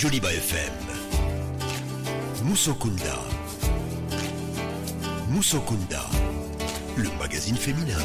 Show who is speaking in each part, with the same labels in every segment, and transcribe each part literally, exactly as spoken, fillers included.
Speaker 1: Joliba F M. Musokunda. Musokunda, le magazine féminin.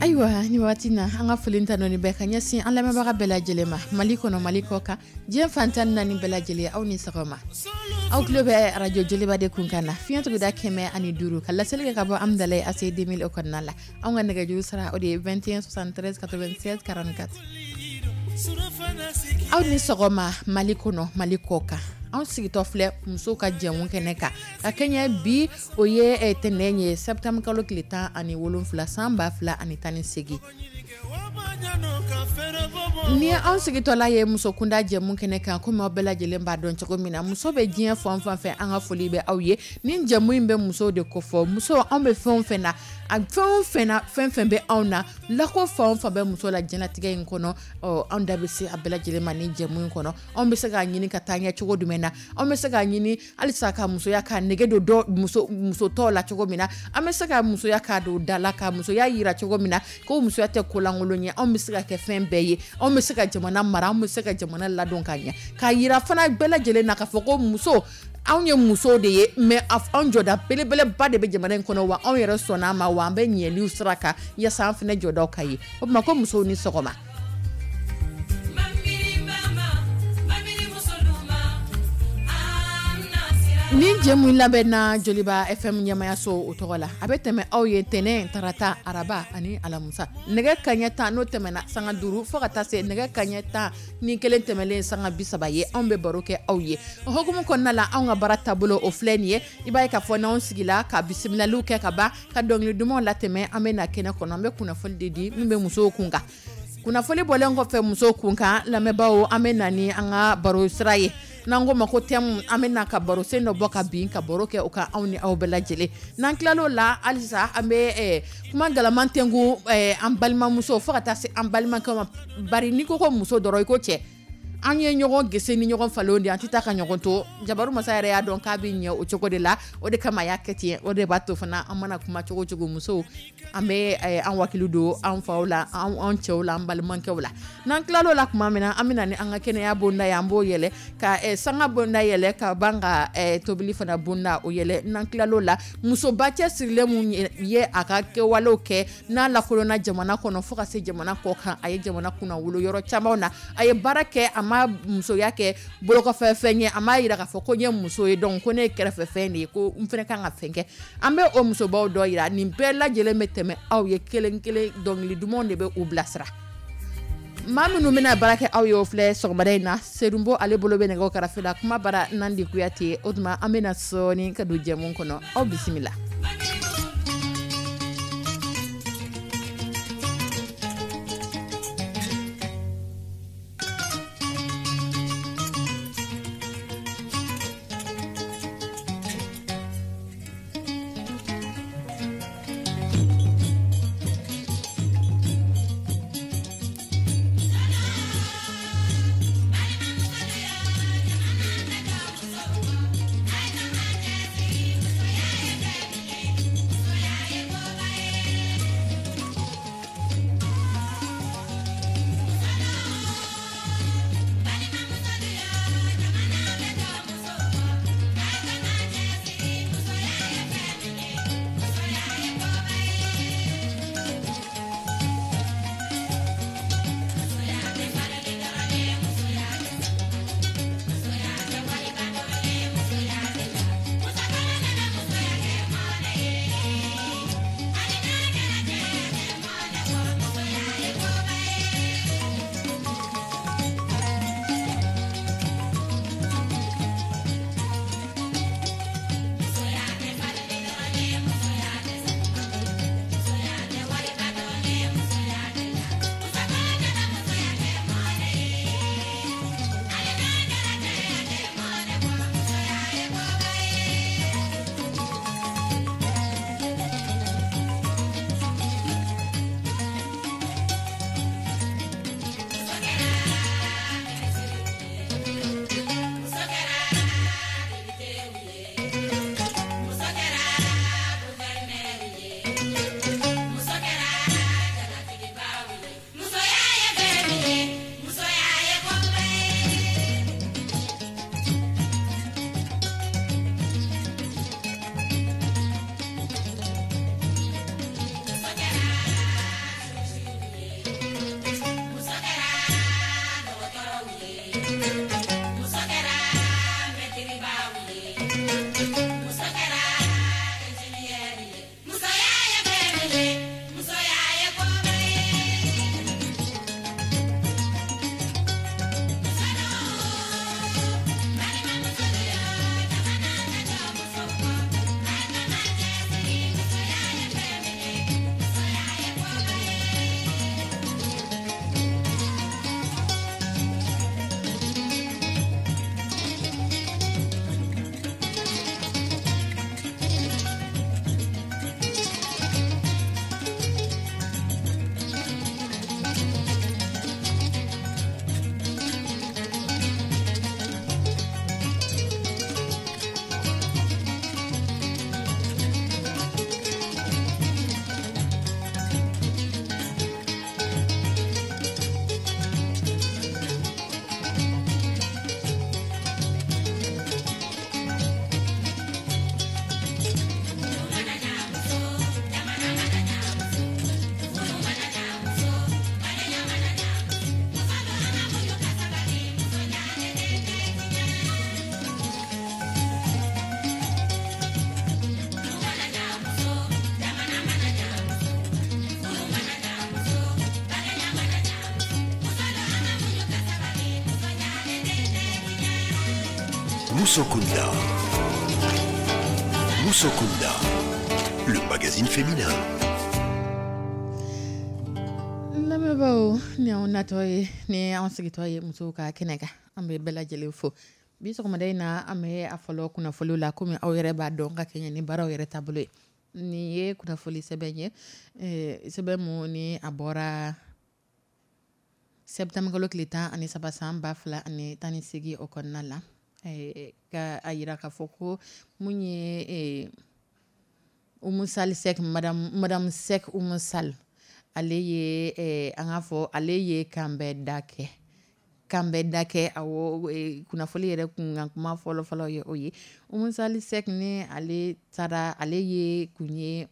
Speaker 2: Ayiwa, ni waati na, an ka foli ta nɔ bɛɛ ka ɲɛsin an lamɛnbaga bɛɛ lajɛlen ma, Mali kɔnɔ, Mali kɔ kan, diɲɛ fantan naani bɛɛ lajɛlen, aw ni sɔgɔma. Aw tulo bɛ arajo Joliba de kun kan na, fiɲɛ tuguda kɛmɛ ani duuru, ka laseli kɛ ka bɔ Amidalayi A C deux mille o kɔnɔna la. Anw ka nɛgɛjuru sira, o de ye vingt et un soixante-treize quatre-vingt-seize quarante-quatre. Aw ni sɔgɔma, Mali kɔnɔ, Mali kɔ kan. Anw sigitɔ filɛ musow ka jɛmu kɛnɛ kan ka kɛɲɛ bi, o ye tɛnɛn ye, septembre kalo tile tan ani wolonfila, san ba fila ani tan ni segin. Ni anw sigitɔla ye musokunda jɛmu kɛnɛ kan, komi aw bɛɛ lajɛlen b'a dɔn cogo min na, muso bɛ diɲɛ fan fan fɛ, an ka foli bɛ aw ye. Ni jɛmu in bɛ musow de kofɔ. Muso, anw bɛ fɛn o fɛn na, a fɛn o fɛn na, fɛn fɛn bɛ anw na, lako fan o fan bɛ muso la diɲɛlatigɛ in kɔnɔ, ɔ anw da bɛ se a bɛɛ lajɛlen ma ni jɛmu in kɔnɔ. Anw bɛ se k'a ɲini ka taa ɲɛ cogo jumɛn na? Anw bɛ se k'a ɲini halisa ka musoya ka nege don dɔ muso muso tɔw la cogo min na? An bɛ se ka musoya k'a don da la, ka musoya yira cogo min na ko musoya tɛ kolankolon ye? Anw bɛ se ka kɛ fɛn bɛɛ ye, anw bɛ se ka jamana mara, anw bɛ se ka jamana ladon ka ɲɛ, k'a yira fana bɛɛ lajɛlen na k'a fɔ ko muso, anw ye musow de ye, mais anw jɔda belebeleba de bɛ jamana in kɔnɔ wa. Anw yɛrɛ sɔnna a ma wa, an bɛ ɲɛliw sira kan yaasa an fana jɔdaw ka ye. O tuma ko musow ni sɔgɔma. Ni jɛmu labɛnna Joliba F M ɲɛmayaso o tɔgɔ la, a bɛ tɛmɛ aw ye tɛnɛn, tarata, araba ani alamisa, nɛgɛ kaɲɛ tan n'o tɛmɛna sanga duuru fo ka taa se nɛgɛ kaɲɛ tan ni kelen tɛmɛlen sanga bi saba ye, anw bɛ baro kɛ aw ye. O hukumu kɔnɔna la, anw ka baara taabolo o filɛ nin ye. I b'a ye k'a fɔ n'anw sigila ka bisimilaliw kɛ ka ban, ka dɔnkili dumanw latɛmɛ, an bɛ na kɛnɛ kɔnɔ, an bɛ kunnafoni de di min bɛ musow kun kan. Kunnafoni bɔlen kɔfɛ musow kun kan, lamɛnbaaw, an bɛ na ni an ka baro sira ye n'an ko ma ko thème. An bɛ na ka baro sen dɔ bɔ ka bin, ka baro kɛ o kan, anw ni aw bɛɛ lajɛlen. N'an tilal'o la halisa, an bɛ kuma galaman tɛnku an balimamuso fo ka taa se an balimakɛw ma. Bari n'i ko ko muso dɔrɔn, i ko cɛ. An ye ɲɔgɔn gese ni ɲɔgɔn falenw de, an tɛ taa ka ɲɔgɔn to. Jabaru masa yɛrɛ y'a dɔn k'a bɛ ɲɛ o cogo de la, o de kama a y'a kɛ ten. O de b'a to fana, an mana kuma cogo cogo, musow, an bɛ an wakili don an faw la, an cɛw la, an balimakɛw la. N'an tilal'o la tuma min na, an bɛ na ni an ka kɛnɛya bonda ye, an b'o yɛlɛ ka sanga bonda yɛlɛ, ka ban ka tobili fana bonda o yɛlɛ. N'an tilal'o la, musoba cɛsirilen mun ye a ka kɛwalew kɛ n'a lakodɔnna jamana kɔnɔ fo ka se jamana kɔ kan, a ye jamana kunna wolo yɔrɔ caman na, a ye baara kɛ, a ma musoya kɛ bolokɔfɛ fɛn ye, a m'a yira k'a fɔ ko n ye muso ye, donc ko ne ye kɛrɛfɛ fɛn de ye, ko n fana kan ka fɛn kɛ, an bɛ o musobaw dɔ yira. Nin bɛɛ lajɛlen bɛ tɛmɛ aw ye kelen kelen, dɔnkili dumanw de bɛ u bilasira. Maa minnu bɛna baara kɛ aw ye, o filɛ sɔgɔmada in na. Serunbo, ale bolo bɛ nɛgɛw karafe la. Kuma bara Nandi Kuyate. O tuma an bɛna sɔɔni ka don jɛmu kɔnɔ. Aw bisimila.
Speaker 1: Musokunda. Musokunda, le magazine féminin.
Speaker 2: Lamɛnbaaw, ni anw natɔ ye, ni anw sigitɔ ye musow ka kɛnɛ kan, an bɛ bɛɛ lajɛlen fo. Bi sɔgɔmada in na, an bɛ a fɔlɔ kunnafoliw la, komi aw yɛrɛ b'a dɔn ka kɛɲɛ ni baaraw yɛrɛ taabolo ye. Nin ye kunnafoli sɛbɛn ye, sɛbɛn mun ni a bɔra septembre kalo tile tan ani saba san ba fila ani tan ni seegin o kɔnɔna la, ka a yira k'a fɔ ko mun ye Oumou Sall Seck, madame madame Seck Oumou Sall, ale ye, an k'a fɔ ale ye kanbɛ da kɛ kanbɛ da kɛ. Awɔ, kunnafoli yɛrɛ kun kuma fɔlɔ fɔlɔ ye o ye. Oumou Sall Seck ni ale taara, ale ye kun ye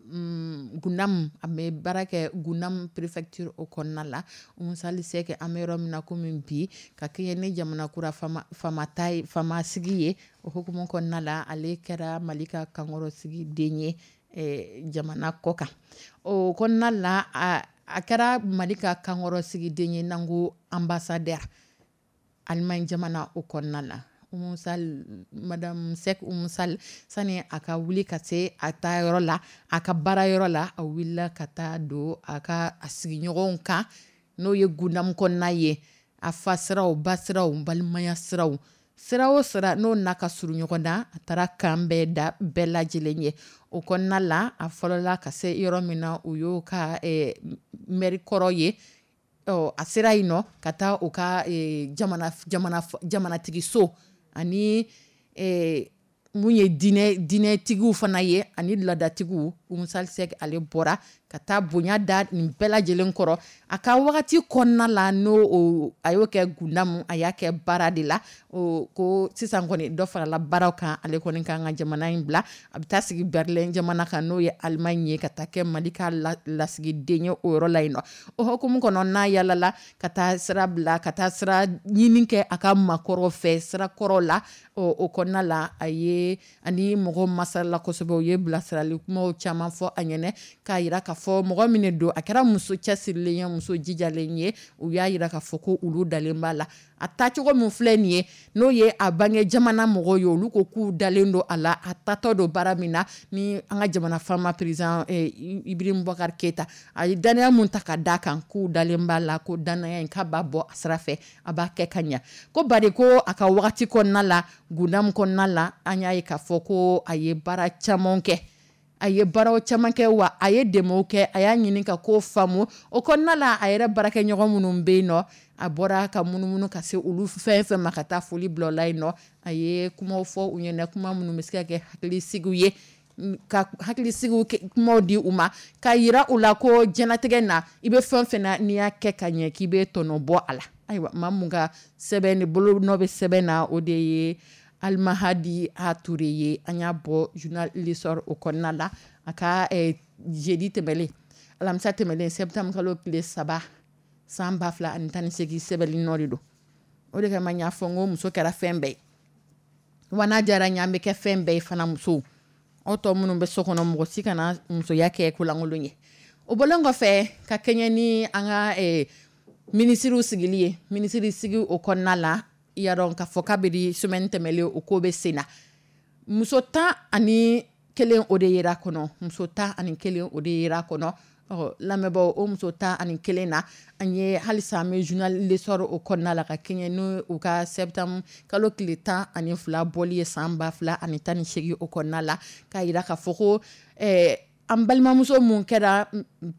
Speaker 2: Gundam, a bɛ baara kɛ Gundam préfecture o kɔnɔna la. Oumou Sall Seck, an bɛ yɔrɔ min na komi bi, ka kɛɲɛ ni jamana kura fama fama ta ye, fama sigi ye, o hukumu kɔnɔna la, ale kɛra Mali ka kankɔrɔsigi den ye jamana kɔ kan. O kɔnɔna la, a a kɛra Mali ka kankɔrɔsigi den ye, n'an ko ambassadeur, Allemagne jamana o kɔnɔna la. Oumou Sall, madame Seck Oumou Sall, sani a ka wuli ka se a taa yɔrɔ la, a ka baara yɔrɔ la, a wulila ka taa don a ka a sigiɲɔgɔnw kan, n'o ye Gundam kɔnɔna ye, a fa siraw, ba siraw, balimaya siraw, sira o sira n'o n'a ka surun ɲɔgɔn na, a taara kan bɛɛ da bɛɛ lajɛlen ye. O kɔnɔna la, a fɔlɔla ka se yɔrɔ min na, o y'o ka mɛri kɔrɔ ye. Ɔ, a sera yen nɔ ka taa u ka jamana jamana jamanatigiso ani mun ye diinɛ diinɛtigiw fana ye ani laadatigiw. Oumou Sall Seck, ale bɔra ka taa bonya da nin bɛɛ lajɛlen kɔrɔ a ka wagati kɔnɔna la, n'o a y'o kɛ Gundam, a y'a kɛ baara de la. O ko sisan kɔni, dɔ farala baaraw kan, ale kɔni kan ka jamana in bila, a bɛ taa sigi Berlin jamana kan, n'o ye Allemagne ye, ka taa kɛ Mali ka lasigiden ye o yɔrɔ la yen nɔ. O hukumu kɔnɔ, n'a yalala ka taa sira bila, ka taa sira ɲini kɛ a ka maakɔrɔ fɛ sira kɔrɔ la, o kɔnɔna la, a ye ani mɔgɔw masala kosɛbɛ, u ye bilasirali kumaw caman fɔ a ɲɛnɛ, k'a yira k'a fɔ mɔgɔ min don, a kɛra muso cɛsirilen ye, muso jijalen ye. U y'a yira k'a fɔ ko olu dalen b'a la, a taacogo min filɛ nin ye, n'o ye a bange jamana mɔgɔw ye, olu ko k'u dalen don a la, a tatɔ don baara min na ni an ka jamana faama président Ibrahim Boubacar Keïta, a ye danaya mun ta ka d'a kan, k'u dalen b'a la, ko danaya in k'a b'a bɔ a sira fɛ, a b'a kɛ ka ɲa. Ko bari ko a ka wagati kɔnɔna la, Gundam kɔnɔna la, an y'a ye k'a fɔ ko a ye baara caman kɛ, a ye baaraw caman kɛ, wa a ye dɛmɛw kɛ, a y'a ɲini ka ko faamu o kɔnɔna la. A yɛrɛ baarakɛɲɔgɔn minnu bɛ yen nɔ, a bɔra ka munumunu ka se olu fɛn fɛn ma, ka taa foli bila o la yen nɔ. A ye kumaw fɔ u ɲɛna, kuma minnu bɛ se ka kɛ hakilisigiw ye, ka hakilisigiw kumaw di u ma, ka yira u la ko diɲɛlatigɛ na, i bɛ fɛn fɛn na, n'i y'a kɛ ka ɲɛ, k'i bɛ tɔnɔ bɔ a la. Ayiwa, maa mun ka sɛbɛn ni bolo nɔ bɛ sɛbɛn na, o de ye Almahadi A Touré ye. An y'a bɔ journal L'Essor o kɔnɔna la, a ka jeudi tɛmɛlen, alamisa tɛmɛlen, septembre kalo tile saba san ba fila ani tan ni seegin sɛbɛnni nɔ de don. O de kama n y'a fɔ n ko muso kɛra fɛn bɛɛ ye, wa n'a diyara n ye, an bɛ kɛ fɛn bɛɛ ye fana. Musow, aw tɔ minnu bɛ so kɔnɔ, mɔgɔ si kana musoya kɛ kolankolon ye. O bɔlen kɔfɛ, ka kɛɲɛ ni an ka minisiriw sigili ye, minisiri sigi o kɔnɔna la, i y'a dɔn k'a fɔ kabini semaine tɛmɛlen o ko bɛ sen na, muso tan ani kelen o de yera kɔnɔ, muso tan ani kelen o de yera kɔnɔ. Ɔ, lamɛnbaaw, o muso tan ani kelen na, an ye halisa an bɛ journal L'Essor o kɔnɔna la, ka kɛɲɛ ni u ka septembre kalo tile tan ani fila bɔli ye san ba fila ani tan ni seegin o kɔnɔna la, k'a yira k'a fɔ ko ɛɛ an balimamuso mun kɛra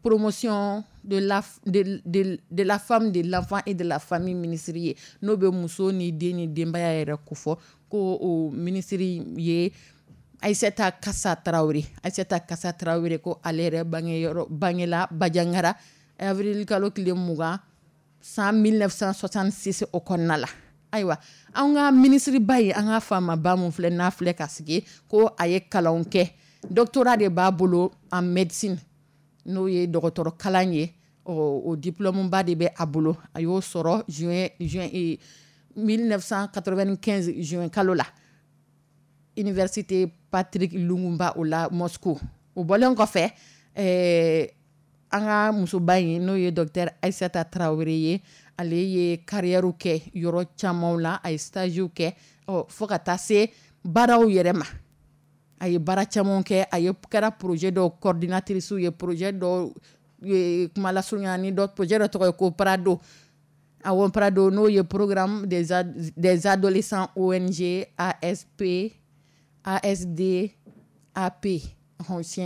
Speaker 2: Promotion de la de, de, de la femme, de l'enfant et de la famille ministre ye, n'o bɛ muso ni den ni denbaya yɛrɛ kofɔ, ko o minisiri ye Aïssata Kassa Traoré. Aïssata Kassa Traoré, ko ale yɛrɛ bange yɔrɔ, bangela Bandiagara avril kalo tile mugan san mille neuf cent soixante-six o kɔnɔna la. Ayiwa, an ka minisiriba ye, an ka faamaba mun filɛ n'a filɛ ka sigi, ko a ye kalanw kɛ, doctorat de b'a bolo en médecine, n'o ye dɔgɔtɔrɔ kalan ye, o diplôme ba de bɛ a bolo. A y'o sɔrɔ juin juin mille neuf cent quatre-vingt-quinze juin kalo la, université Patrice Lumumba o la Moscou. O bɔlen kɔfɛ, ɛɛ An ka musoba in, n'o ye docteur Ayisata Tarawele ye, ale ye carrière kɛ yɔrɔ caman la, a ye stage kɛ, ɔ fo ka taa se baaraw yɛrɛ ma. A ye baara caman kɛ, a ye kɛra projet dɔw coordinatrice ye, projet dɔw kuma lasurunya ni dɔ projet dɔ tɔgɔ ye ko PRADO. Awɔ, PRADO, n'o ye programme des, des adolescents O N G A S P A S D A P,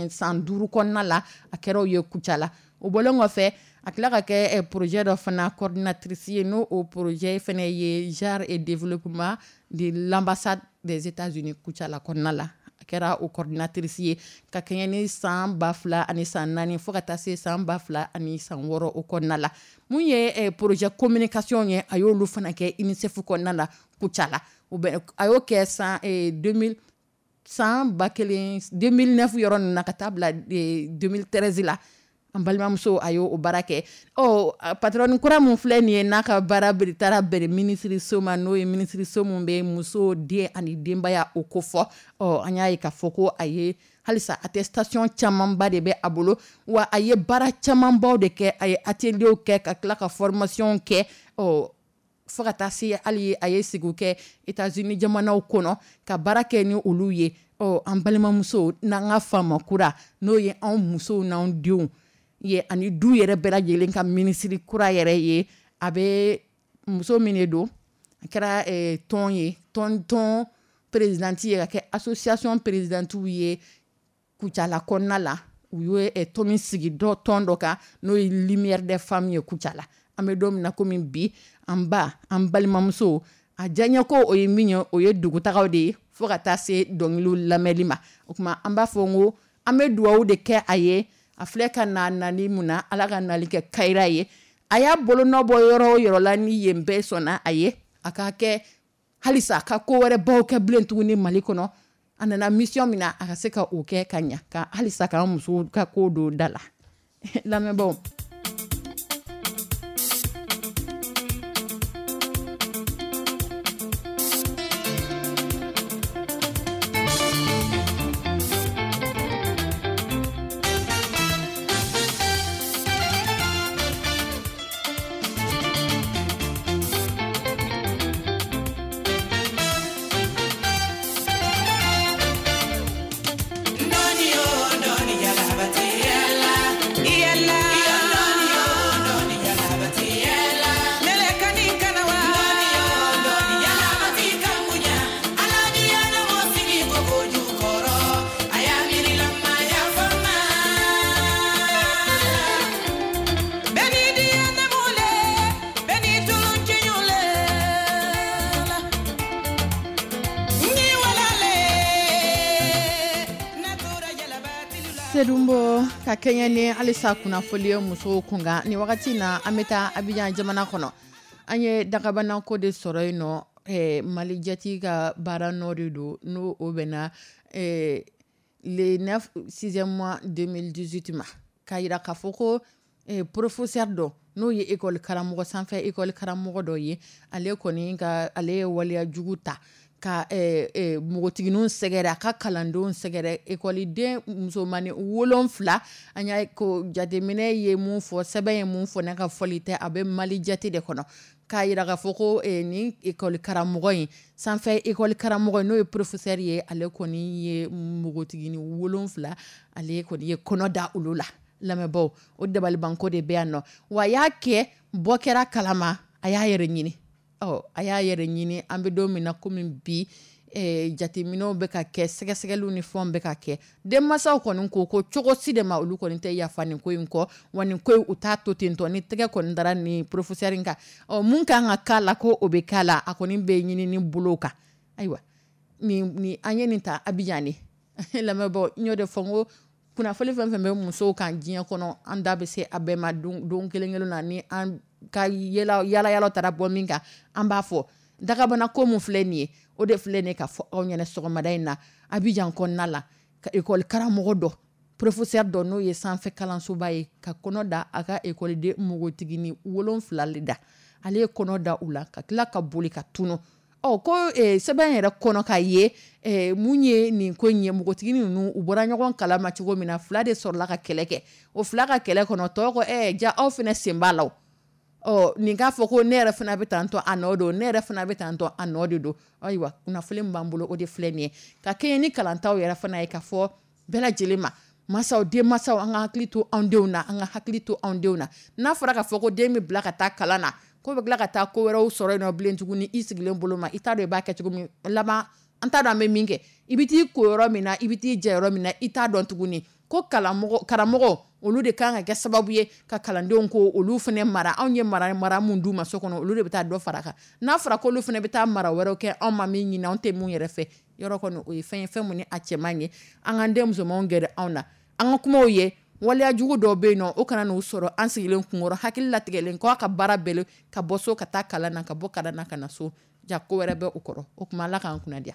Speaker 2: san duuru kɔnɔna la, a kɛra o ye Kucala. O bɔlen kɔfɛ, a tila ka kɛ projet dɔ fana coordinatrice ye, n'o o projet fana ye genre et développement de l'ambassade des États-Unis Kucala kɔnɔna la, a kɛra o coordinatrice ye ka kɛɲɛ ni san ba fila ani san naani fo ka taa se san ba fila ani san wɔɔrɔ o kɔnɔna la. Mun ye projet communication ye, a y'olu fana kɛ UNICEF kɔnɔna la Kucala. O bɛ, a y'o kɛ san deux mille, san ba kelen deux mille neuf yɔrɔ ninnu na ka taa bila deux mille treize la. An balimamuso, a y'o baara kɛ. Ɔ patron kura mun filɛ nin ye, n'a ka baara taara bɛn minisiriso ma, n'o ye minisiriso mun bɛ muso, den ani denbaya o ko fɔ. Ɔ an y'a ye k'a fɔ ko a ye halisa attestation camanba de bɛ a bolo, wa a ye baara camanbaw de kɛ. A ye atelier kɛ, ka tila ka formation kɛ, ɔ fo ka taa se hali a ye sigiw kɛ États-Unis jamanaw kɔnɔ ka baara kɛ ni olu ye. Ɔ an balimamuso n'an ka faama kura, n'o ye anw musow n'anw denw ye ani du yɛrɛ bɛɛ lajɛlen ka minisiri kura yɛrɛ ye, a bɛ muso min de don, a kɛra tɔn ye, tɔn tɔn présidente ye, ka kɛ association présidente ye Kucala kɔnɔna la. U ye tɔn min sigi dɔ tɔn dɔ kan, n'o ye Lumière des femmes ye Kucala. An bɛ don min na komi bi, an ba, an balimamuso, a diyaɲɛ ko o ye min ye, o ye dugutagaw de ye, fo ka taa se dɔnkiliw lamɛnli ma. O tuma an b'a fɔ n ko an bɛ dugawu de kɛ a ye. A filɛ ka na nali mun na, Ala ka nali kɛ kayira ye. A y'a bolonɔ bɔ yɔrɔ o yɔrɔ la, ni yen bɛɛ sɔnna a ye, a ka kɛ halisa a ka ko wɛrɛ baw kɛ bilen tuguni Mali kɔnɔ. A nana mission min na, a ka se ka o kɛ ka ɲa, ka halisa k'an musow ka ko don da la. Lamɛnbaaw. Sedunbo ka kɛɲɛ ni halisa kunnafoli ye musow kunkan nin wagati na, an bɛ taa Abijan jamana kɔnɔ. An ye dagabanako de sɔrɔ yen nɔ. eh, Mali jati ka baara nɔ de don, n'o o bɛnna eh, le neuf sixième mois deux mille dix-huit ma, k'a yira k'a fɔ ko eh, professeur dɔ, n'o ye école karamɔgɔ, sanfɛ école karamɔgɔ dɔ ye, ale kɔni ka ale ye waleya jugu ta ka eh, eh, npogotigininw sɛgɛrɛ, a ka kalandenw sɛgɛrɛ, ekɔliden musomanin wolonfila. An y'a ko jateminɛ ye mun fɔ, sɛbɛn ye mun fɔ, ne ka fɔli tɛ, a bɛ Mali jate de kɔnɔ, k'a yira k'a fɔ ko eh, nin ekɔli karamɔgɔ in, sanfɛ ekɔli karamɔgɔ, n'o ye professeur ye, ale kɔni ye npogotiginin wolonfila, ale kɔni ye kɔnɔ da olu la. Lamɛnbaaw, o dabalibanko de bɛ yan nɔ. Wa a y'a kɛ, bɔ kɛra kalama, a y'a yɛrɛ ɲini. Ɔ a y'a yɛrɛ ɲini. An bɛ don min na komi bi, eh, jateminɛw bɛ ka kɛ, sɛgɛsɛgɛliw ni fɛnw bɛ ka kɛ. Denmansaw kɔni ko ko cogo si de ma, olu kɔni tɛ yafa nin ko in kɔ, wa nin ko in, u t'a to ten tɔ. Ni tɛgɛ kɔni dara nin professeur in kan, ɔ mun kan ka k'a la, ko o bɛ k'a la. A kɔni bɛ ɲini ni bolo kan. Ayiwa, nin nin an ye nin ta Abijan de. Lamɛnbaaw, n y'o de fɔ n ko kunnafoni fɛn fɛn bɛ musow kan diɲɛ kɔnɔ, an da bɛ se a bɛɛ ma don don kelen kelen na. Ni an ka yala yala yala taara bɔ min kan, an b'a fɔ. Dagabana ko mun filɛ nin ye, o de filɛ nin ye ka fɔ aw ɲɛna sɔgɔmada in na. Abijan kɔnɔna la, ka ekɔli karamɔgɔ dɔ, professeur dɔ, n'o ye sanfɛ kalansoba ye, ka kɔnɔ da a ka ekɔliden npogotiginin wolonfila le da. Ale ye kɔnɔ da u la ka tila ka boli ka tunu. Ɔ ko sɛbɛn yɛrɛ kɔnɔ ka ye mun ye nin ko in ye, npogotigi ninnu u bɔra ɲɔgɔn kalama cogo min na, fila de sɔrɔla ka kɛlɛ kɛ. O fila ka kɛlɛ kɔnɔ, tɔw ko ɛɛ ja aw fana sen b'a la. Ɔ nin k'a fɔ ko ne yɛrɛ fana bɛ tan tɔ a nɔ don, ne yɛrɛ fana bɛ tan tɔ a nɔ de don. Ayiwa, kunnafoni min b'an bolo, o de filɛ nin ye, ka kɛɲɛ ni kalantaw yɛrɛ fana ye, ka fɔ bɛɛ lajɛlen ma, masaw, denmansaw, an ka hakili to anw denw na, an ka hakili to anw denw na. N'a fɔra k'a fɔ ko den bɛ bila ka taa kalan na, ko bɛ tila ka taa ko wɛrɛw sɔrɔ yen nɔ bilen tuguni, i sigilen bolo ma, i t'a dɔn i b'a kɛ cogo min laban, an t'a dɔn an bɛ min kɛ, i bɛ t'i ko yɔrɔ min na, i bɛ t'i jɛ yɔrɔ min na, i t'a dɔn tuguni. Ko kalamɔgɔ, karamɔgɔ, olu de kan ka kɛ sababu ye ka kalandenw ko olu fana mara. Anw ye mara mara mun d'u ma so kɔnɔ, olu de bɛ taa dɔ fara kan. N'a fɔra k'olu fana bɛ taa mara wɛrɛw kɛ, anw ma min ɲini, anw tɛ mun yɛrɛ fɛ yɔrɔ kɔni, o ye fɛn ye, fɛn mun ni a cɛ man ɲi. An k'an den musomanw gɛrɛ anw na, an ka kumaw ye. Waleya jugu dɔw bɛ yen nɔ, o kana n'u sɔrɔ an sigilen kunkɔrɔ, hakili latigɛlen k'a ka baara bɛɛ ka bɔ so ka taa kalan na, ka bɔ kalan na ka na so, ja ko wɛrɛ bɛ o kɔrɔ. O tuma, Ala k'an kunna diya.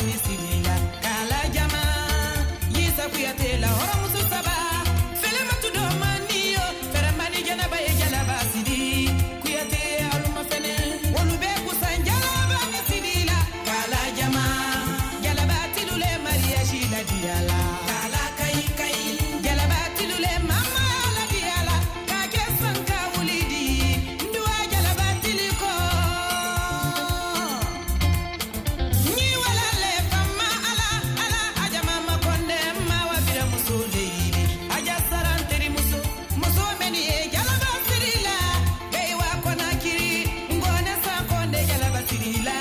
Speaker 3: Ni sirila kala jama Yisa Kuyate la hɔrɔnmuso saba Felematu do maniyo Fɛrɛmani jɛnɛba ye jalaba siri Kuyate aluma fɛnɛ Olu bɛ kusan jalaba ni sirila kala jama Jalaba tilule mariage la diyala Kala kayi kayi Jalaba tilule mama la diyala K'a kɛ sanka wuli di Nduwa jalaba tiliko Ni walale fama ala ala aja mama konde ma wa bira muso le yiri aja saran teri muso muso meni ye jalaba sirila beiwa konakiri ngone sa konde jalaba sirila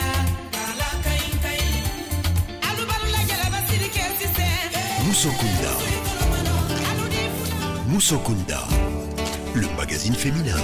Speaker 3: kala kayi kayi alubalula jalaba siri kɛ sisan
Speaker 1: Musokunda. Musokunda. Le magazine féminin.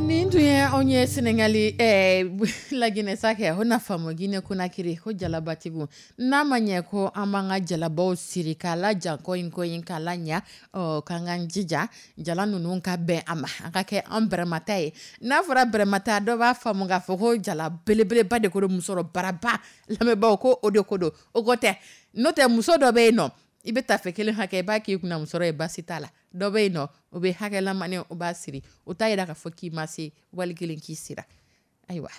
Speaker 2: Nin tun ye anw ye Senegali eh, Laginɛ sa kɛ o na faamu Guinée Conakry ko jalabatigiw n'a ma ɲɛ ko an b'an ka jalabaw siri k'a laja kɔyin kɔyin k'a la ɲa ɔ k'an k'an jija jala ninnu ka bɛn a ma a ka kɛ an bɛrɛmata ye. N'a fɔra bɛrɛmata, dɔ b'a faamu k'a fɔ ko jala belebeleba de ko don, musɔrɔ baraba lamɛnbaaw ko o de ko don. O ko tɛ, n'o tɛ muso dɔ bɛ yen nɔ, i bɛ tafe kelen hakɛ i b'a k'i kunna musɔrɔ ye, baasi t'a la. Dɔ bɛ yen nɔ, o bɛ hakɛlamani o b'a siri, o t'a yira k'a fɔ k'i ma se wali kelen k'i sira. Ayiwa,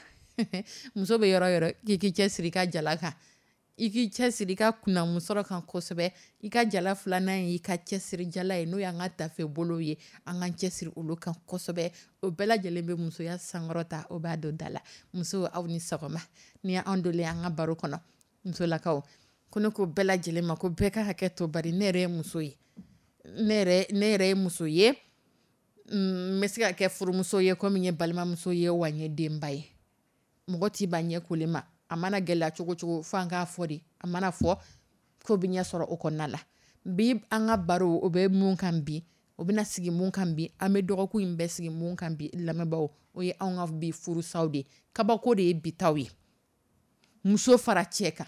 Speaker 2: muso bɛ yɔrɔ yɔrɔ, k'i k'i cɛ siri i ka jala kan, i k'i cɛ siri i ka kunna musɔrɔ kan kosɛbɛ. I ka jala filanan ye i ka cɛsiri jala ye, n'o y'an ka tafe bolo ye, an k'an cɛsiri olu kan kosɛbɛ. O bɛɛ lajɛlen bɛ musoya sankɔrɔta, o b'a don da la. Muso, aw ni sɔgɔma. Ni y'an donlen an ka baro kɔnɔ, musolakaw ko ne ko bɛɛ lajɛlen ma ko bɛɛ ka hakɛ to, bari ne yɛrɛ ye muso ye, ne yɛrɛ ne yɛrɛ ye muso ye, n bɛ se ka kɛ furumuso ye komi n ye balimamuso ye, wa n ye denba ye. Mɔgɔ t'i ban ɲɛ kolen ma, a mana gɛlɛya cogo cogo, fo an k'a fɔ de, a mana fɔ ko bɛ ɲɛ sɔrɔ o kɔnɔna la. Bi an ka baro o bɛ mun kan bi, o bɛna sigi mun kan bi, an bɛ dɔgɔkun in bɛɛ sigi mun kan bi, lamɛnbaaw, o ye anw ka bi furusaw de ye. Kabako de ye bi taw ye, muso fara cɛ kan.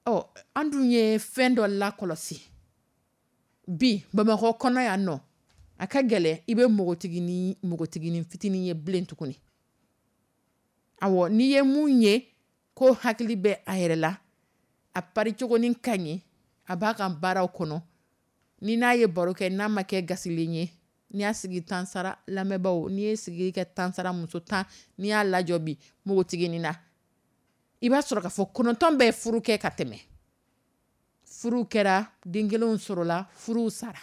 Speaker 2: Ɔ, an dun ye fɛn dɔ lakɔlɔsi bi Bamakɔ kɔnɔ yan nɔ, a ka gɛlɛn i bɛ npogotiginin npogotiginin fitinin ye bilen tuguni. Awɔ, n'i ye mun ye ko hakili bɛ a yɛrɛ la, a pari cogonin ka ɲi, a b'a ka baaraw kɔnɔ, ni n'a ye baro kɛ n'a ma kɛ gasilen ye, n'i y'a sigi tan sara, lamɛnbaaw, n'i ye sigi kɛ tan sara, muso tan n'i y'a lajɔ bi npogotiginin na, i b'a sɔrɔ k'a fɔ kɔnɔntɔn bɛɛ furu kɛ ka tɛmɛ. Furu kɛra, den kelenw sɔrɔla, furuw sara.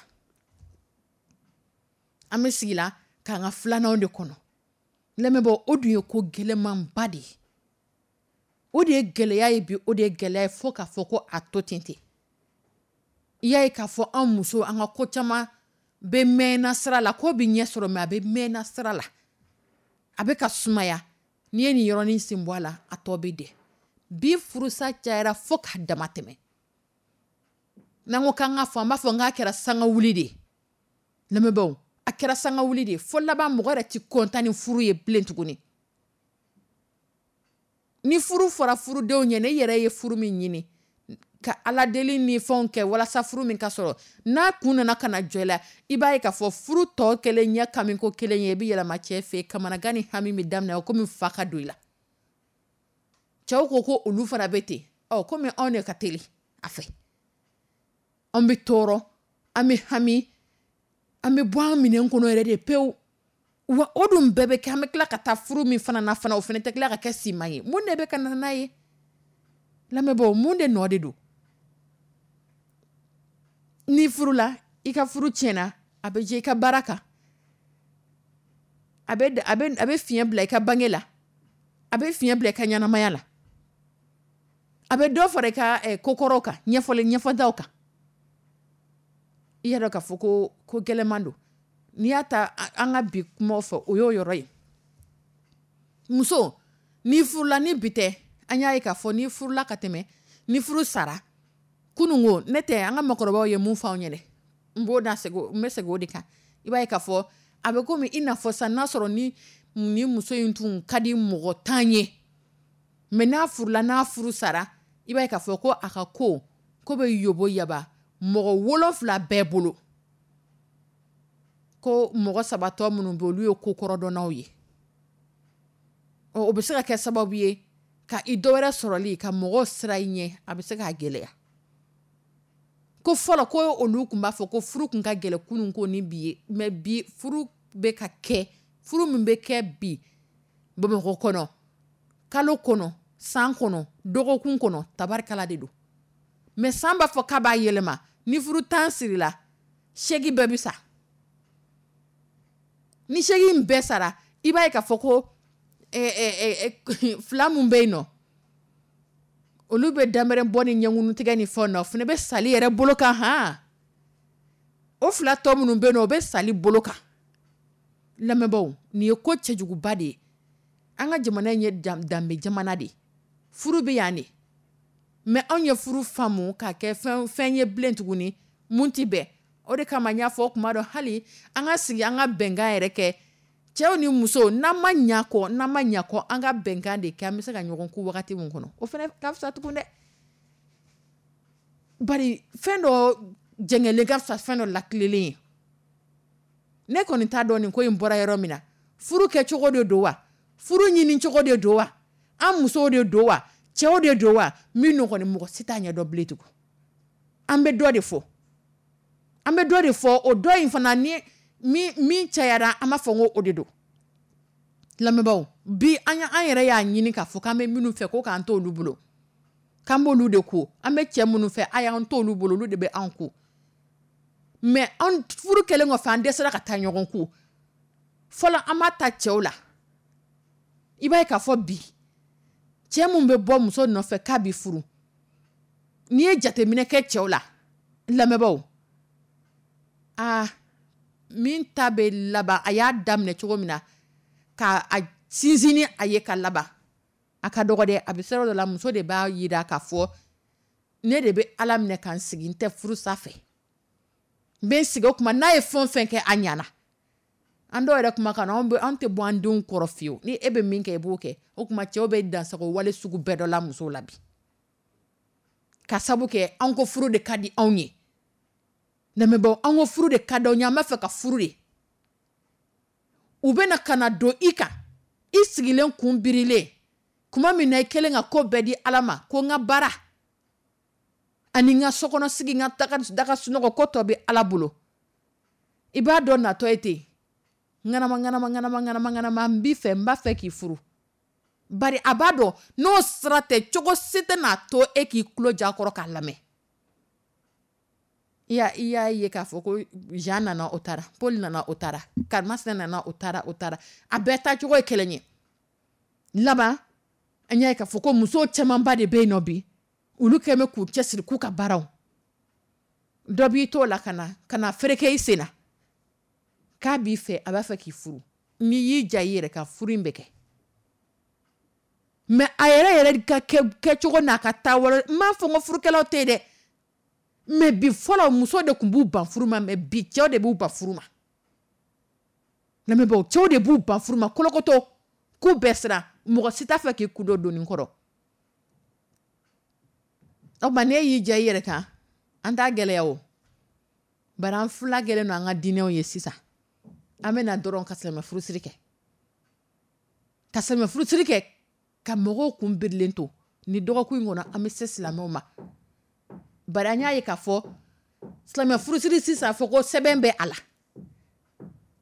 Speaker 2: An bɛ sigi la k'an ka filananw de kɔnɔ. Lamɛnbaaw, o dun ye ko gɛlɛnmanba de ye, o de ye gɛlɛya ye bi, o de ye gɛlɛya ye fo k'a fɔ ko a to ten ten. I y'a ye k'a fɔ an muso, an ka ko caman bɛ mɛnna sira la, ko bɛ ɲɛ sɔrɔ mɛ a bɛ mɛnna sira la, a bɛ ka sumaya. N'i ye nin yɔrɔnin sen bɔ a la, a tɔ bɛ dɛ. Bi furusa cayara fo k'a dama tɛmɛ. N'an ko k'an ka fɔ, an b'a fɔ n k'a kɛra sanga wuli de ye. Lamɛnbaaw, a kɛra sanga wuli de ye fo laban mɔgɔ yɛrɛ ti kɔntan ni furu ye bilen tuguni. Ni furu fɔra furudenw ɲɛ, ne yɛrɛ ye furu min ɲini ka ala deli ni fɛnw kɛ walasa furu min ka sɔrɔ, n'a kun nana ka na jɔ i la, i b'a ye k'a fɔ furu tɔ kɛlen ɲɛ kami ko kelen ye, i bɛ yɛlɛma cɛ fɛ yen, kamanagan ni hami bɛ daminɛ o komi fa ka don i la. Cɛw ko ko olu fana bɛ ten, ɔ komi anw de ka teli a fɛ, an bɛ tɔɔrɔ, an bɛ hami, an bɛ bɔ an minɛn kɔnɔ yɛrɛ de pewu. Wa o dun bɛɛ bɛ kɛ, an bɛ tila ka taa furu min fana na fana, o fana tɛ tila ka kɛ siman ye. Mun de bɛ ka na n'a ye, lamɛnbaaw? Mun de nɔ de don? Ni furula, i ka furu tiɲɛna, a bɛ jɛ i ka baara kan, a bɛ a bɛ a bɛ fiɲɛ bila i ka bange la, a bɛ fiɲɛ bila i ka ɲɛnamaya la, a bɛ dɔ fara i ka kokɔrɔw kan, ɲɛfɔli ɲɛfɔtaw kan. I y'a dɔn k'a fɔ ko ko gɛlɛman don. N'i y'a ta an ka bi kumaw fɛ, o y'o yɔrɔ ye. Muso, n'i furula, ni bi tɛ, an y'a ye k'a fɔ n'i furula ka tɛmɛ, ni furu sara kununko, ne tɛ an ka makɔrɔbaw ye mun fɔ anw ɲɛnɛ, n b'o da segin, n bɛ segin o de kan. I b'a ye k'a fɔ a bɛ komi i n'a fɔ sisan n'a sɔrɔ ni ni muso in tun ka di mɔgɔ tan ye, mɛ n'a furula, n'a furu sara, i b'a ye k'a fɔ ko a ka ko ko bɛ yobo yaba mɔgɔ wolonfila bɛɛ bolo, ko mɔgɔ saba tɔ minnu bɛ, olu ye ko kɔrɔdɔnnaw ye. O bɛ se ka kɛ sababu ye Ka i dɔ wɛrɛ sɔrɔli ka mɔgɔw sira i ɲɛ, a bɛ se k'a gɛlɛya. Ko fɔlɔ, ko olu tun b'a fɔ ko furu tun ka gɛlɛn kunun ko ni bi ye, mais bi furu bɛ ka kɛ, furu min bɛ kɛ bi Bamakɔ kɔnɔ, kalo kɔnɔ, san kɔnɔ, dɔgɔkun kɔnɔ, tabarikala de don. Mais san b'a fɔ k'a b'a yɛlɛma, ni furu tan sirila, seegin bɛɛ bɛ sa. Ni seegin bɛɛ sara, i b'a ye k'a fɔ ko fila min bɛ yen nɔ, olu bɛ daɛrɛ bɔ ni ɲɛkuntigɛ ni fɛn nɔ, o fana bɛ sali yɛrɛ bolo kan. Hɔn, o fila tɔ minnu bɛ yen, o bɛ sali bolo kan. Lamɛnbaaw, nin ye ko cɛjuguba de ye. An ka jamana in ye danbe jamana de ye, furu bɛ yan de. Mais anw ye furu faamu k'a kɛ fɛn fɛn ye bilen tuguni mun tɛ bɛn. O de kama n y'a fɔ kuma dɔ, hali an ka sigi, an ka bɛnkan yɛrɛ kɛ, cɛw ni musow, n'an ma ɲa kɔ, n'an ma ɲa kɔ, an ka bɛnkan de kɛ, an bɛ se ka ɲɔgɔn ku wagati min kɔnɔ, o fana ka fisa tugun dɛ. Bari fɛn dɔ jɛngɛlen ka fisa fɛn dɔ latilelen ye. Ne kɔni t'a dɔn nin ko in bɔra yɔrɔ min na. Furu kɛcogo de don wa, furu ɲini cogo de don wa, an musow de don wa, cɛw de don wa, min kɔni mɔgɔ si t'a ɲɛdɔn bilen tugun. An bɛ dɔ de fɔ, an bɛ dɔ de fɔ, o dɔ in fana ni min min cayara, an b'a fɔ ko o de don. Lamɛnbaaw, bi an an yɛrɛ y'a ɲini k'a fɔ k'an bɛ minnu fɛ, ko k'an t'olu bolo, k'an b'olu de ko, an bɛ cɛ minnu fɛ, a y'an t'olu bolo, olu de bɛ anw ko. Mais an furu kɛlen kɔfɛ, an dɛsɛra ka taa ɲɔgɔn ko. Fɔlɔ, an b'a ta cɛw la, i b'a ye k'a fɔ bi cɛ mun bɛ bɔ muso nɔfɛ k'a bɛ furu, n'i ye jateminɛ kɛ cɛw la, lamɛnbaaw, aa, min ta bɛ laban, a y'a daminɛ cogo min na ka a sinsin ni a ye ka laban, a ka dɔgɔ dɛ. A bɛ se yɔrɔ dɔ la, muso de b'a jira k'a fɔ ne de bɛ Ala minɛ ka n sigi, n tɛ furu sa fɛ, n bɛ n sigi. O tuma n'a ye fɛn o fɛn kɛ, a ɲɛna. An dɔw yɛrɛ kuma kan, anw an tɛ bɔ an denw kɔrɔ fiyewu, ni e bɛ min kɛ, i b'o kɛ. O tuma cɛw bɛ dansago wale sugu bɛɛ dɔ la musow la bi, ka sabu kɛ an ko furu de ka di anw ye. Lamɛnbaaw, an ko furu de ka di anw ye, an b'a fɛ ka furu de. U bɛna ka na don i kan, i sigilen kun birilen tuma min na, i kɛlen ka ko bɛɛ di Ala ma, ko n ka baara ani n ka sokɔnɔ sigi, n ka daga sunɔgɔ, ko tɔ bɛ Ala bolo. I b'a dɔn natɔ ye ten, ŋanama ŋanama ŋanama ŋanama ŋanama, n b'i fɛ, n b'a fɛ k'i furu. Bari a b'a dɔn n'o sira tɛ, cogo si tɛ n'a to e k'i tulo ja kɔrɔ k'a lamɛn. I y'a i y'a ye k'a fɔ ko Jean nana, o taara, Paul nana, o taara, Karimasina nana, o taara, o taara, a bɛɛ taacogo ye kelen ye. Laban, an y'a ye k'a fɔ ko musow camanba de bɛ yen nɔ bi, olu kɛlen bɛ k'u cɛsiri k'u ka baaraw. Dɔ b'i t'o la ka na ka na fereke i sen na k'a b'i fɛ, a b'a fɛ k'i furu. N'i y'i ja i yɛrɛ kan, furu in bɛ kɛ. Mais a yɛrɛ yɛrɛ ka kɛcogo n'a ka taabolo, n m'a fɔ n ko furukɛlaw tɛ yen dɛ, mais bi, fɔlɔ muso de tun b'u ban furu ma, mais bi cɛw de b'u ban furu ma. Lamɛnbaaw, cɛw de b'u ban furu ma kolokoto, k'u bɛɛ siran, mɔgɔ si t'a fɛ k'i kun don doni kɔrɔ. O tuma n'e y'i ja i yɛrɛ kan, an t'a gɛlɛya o. Bari an fila gɛlɛn don an ka diinɛw ye sisan. An bɛna dɔrɔn ka silamɛ furusiri kɛ, ka silamɛ furusiri kɛ ka mɔgɔw kun birilen to. Ni dɔgɔkun in kɔnɔ, an bɛ se silamɛw ma. Bari an y'a ye k'a fɔ silamɛ furusiri sisan, fɔ ko sɛbɛn bɛ a la,